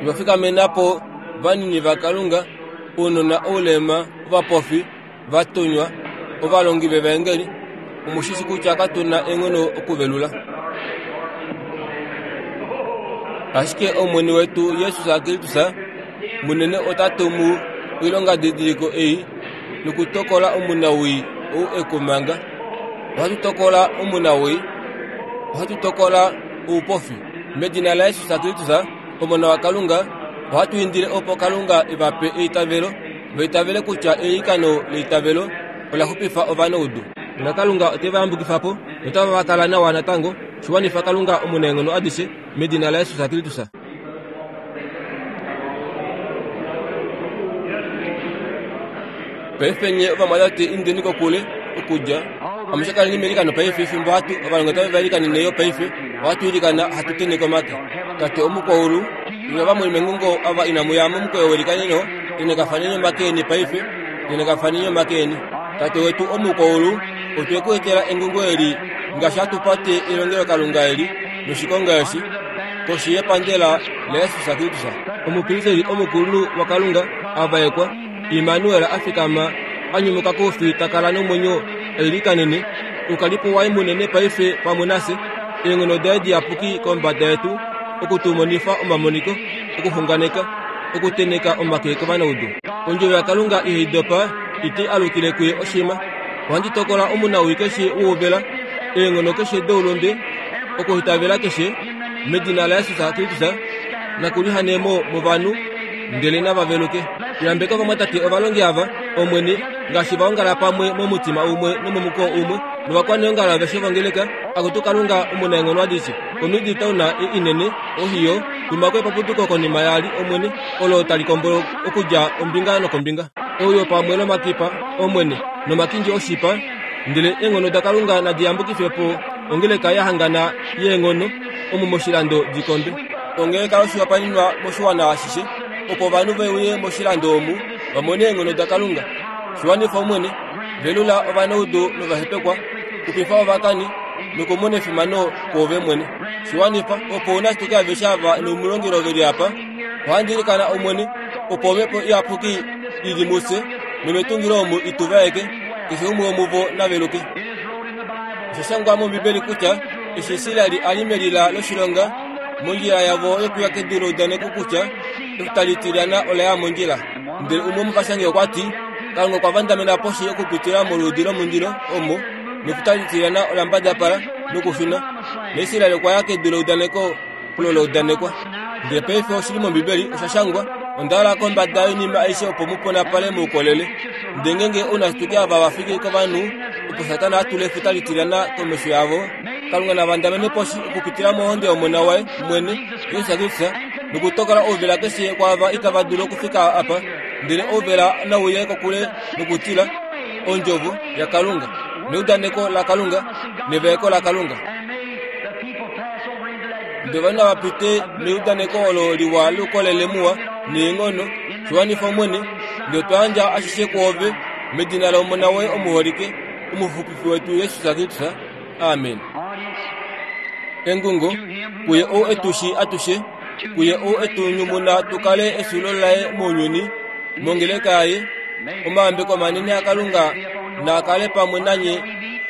Novafikamena po vanini vaKalunga, ounona oulema, ovapofi, vatunywa, ovalongi vevaengeli, omushishi kutya katuna eenghono okuvelula. Ashike Omwene wetu Jesus Kristus munene ota tumu oilongadidiliko ei nokutokola omunawii ou ekumanga. Ohatu tokola omunawii, ohatu tokola oupofi. Medina laJesus Kristus, Omona waKalunga, ohatu indile opo Kalunga evape eitavelo, vaitavele kutya eilikano leitavelo ola xupifa ovanaudu. NaKalunga ote va yambukifa po notava va kala nawa natango. Shiwanifa Kalunga omunaenghono adishe medina laJesus Kristus. Paife nye ovamwatate indeni kokule okudja amushe kaleni meilikano paife fimbo hatu ovalongi otave va ilikanene yo paife ohatu ilikana hatu tenheke omake. Tate omukwaulu ina vamwe mengungo ava inamu ya momukweyo welikaneno tenhekafaneni omake eni paife tenhekafaneni omake eni. Tate wetu omukwaulu otwe ku etela engungo eli ngaashi hatu pate elongelokalunga eli noshikonga eshi koshi yepandela laJesus Kristus. Omupristeli omukulunhu waKalunga avaekwa Immanuel afikama anyumuka koufi takala nomwenyo eilikanene oukalipo waye munene paife pamwe nafye eenghono daye diyapuki kombada yetu okutumonifa omamoniko okuxunganeka okuteneka omake kovanaudu. Ondjovo yaKalunga ihai dopa ite alukile kuye oshima. Ohandi tokola omunawii keshe wouvela eenghono keshe doulunde okuhitavela keshe medina laJesus Kristus nakulihanemo movanhu ndele nava veluke. Yambeka ovamwatate ovalongi ava Omwene ngaashi vaongala pamwe momutima umwe nomomuko umwe novakwaneongalo aveshe vongeleka. Akutu Kalunga omunaenghono adishe koMidtown inene Ohio tumako epapuduko konima yaali Omwene olo tali kombolo okudja ombinga nokombinga. Ouyo pamwe nomakipa Omwene nomakindji oshipa ndele eenghono daKalunga nadi yambukife po ongeleka yahangana yeenghono omu moshilando dikombe. Ongeleka yoshihopaenenwa moshiwana ashishe opo ovanhu ve uye moshilando omu vamone eenghono daKalunga. Shiwanifa Omwene, velula ovanaudu novahepekwa, xupifa ovakani nokumona efimano kwoove mwene. Shiwanifa opo ounashituke aveshe ava noumulongelo veli apa. Ohandi ilikana Omwene opo omhepo iyapuki ili mufye nometungilo omu ituvaeke keshe umwe womuvo naveluke. Osha shangwa mOmbibeli kutya eshi Israeli ali melila loshilonga mondjila yavo yokuya kedu leudaneko kutya efuta litilyana ola ya mondjila. Ndele umwe womuvashangi okwa ti Kalunga okwa vandamena poshi okupitila moluudi lomundilo omo nefuta litilyana ola mbadapala nokushuna. NaIsraeli okwa ya kedu leudaneko olo leudanekwa. Ndele paife oshili mOmbibeli osha shangwa onda hala kombada yoinima aishe opo muponapale moukolele. Ndele ngeenge ounashituke ava vafiki kovanhu opo Satana atule efuta litilyana komesho yavo, Kalunga navandamene poshi okupitila mohonde yOmona waye mwene Jesus Kristus nokutokola ouvela keshe kwaava itava dulu okufika apa. Ndele ouvela nauye kokule nokutila ondjovo yaKalunga neudaneko laKalunga nevaeko laKalunga. Ndele ovanhu nava pite meudaneko olo liwa loukolele muwa neenghono. Shiwanifa Omwene, ndele otwa yandja ashishe kwoove medina lOmona woye omuholike omuxupifi wetu Jesus Kristus. Amen. Engungo kuye ou etushi atushe kuye ou etunyumuna tukale esulo laye mounyuni mongeleka yaye omayambeko manene aKalunga naakale pamwe nanye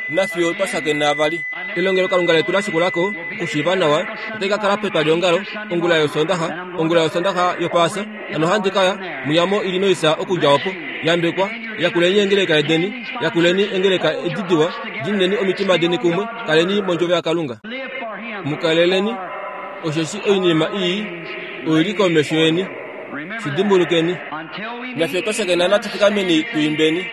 nafiyo twashakena vali. Elongelo Kalunga letu lashikulako okushiiva nawa otai ka kala petwaliongalo ongula yosondaxa ongula yosondaxa yopaasa. Hano handi kaya muyamo Illinois okudja opo. Yambekwa yakuleni engeleka edeni yakuleni engeleka edidiwa dineni omitima deni kumwe kaleni mondjovo yaKalunga. Mukaleleni osheshi oinima ii oili komesho yeni. Shidimbulukeni nafye twashakena natufikameni tuimbeni.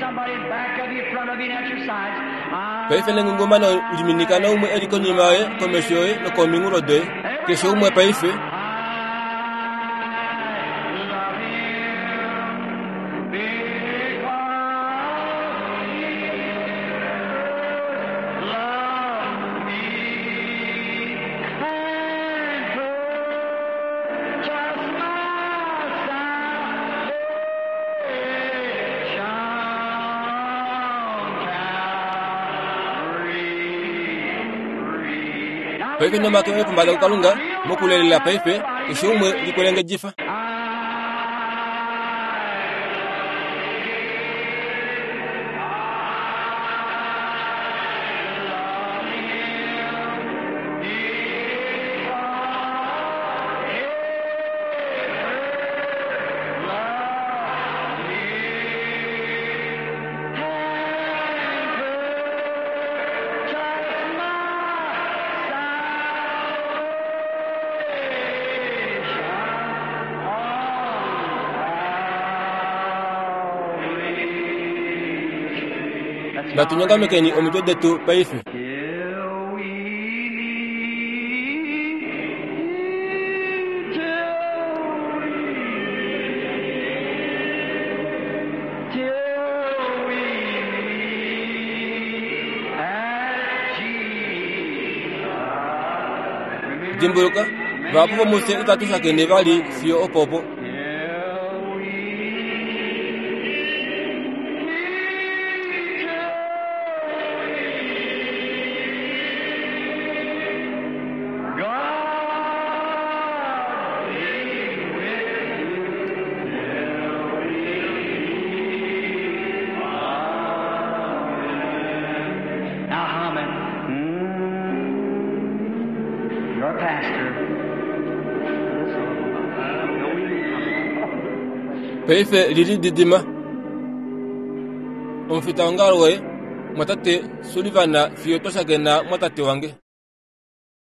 Somebody back of you, front of you, and at your sides. Paife nengungumano liminika naumwe eli konima yoye, komesho yoye nokominghulo doye. Keshe umwe paife. Paife nomake oye pombada kuKalunga mokulelela paife keshe umwe likwelengedjifa. Natunyongamekeni omitwe detu paife. Till we meet, till we meet, till we meet at Jesus. Dimbuluka, vahapu vomufye itatu shakene vali fiyo opopo. Till we meet, till God be with you till we meet again. Now hum it. Mm, your pastor. Paife lilididima. Omufitaongalo woye, mwatate Sullivan fiyo twashakena mwatate wange.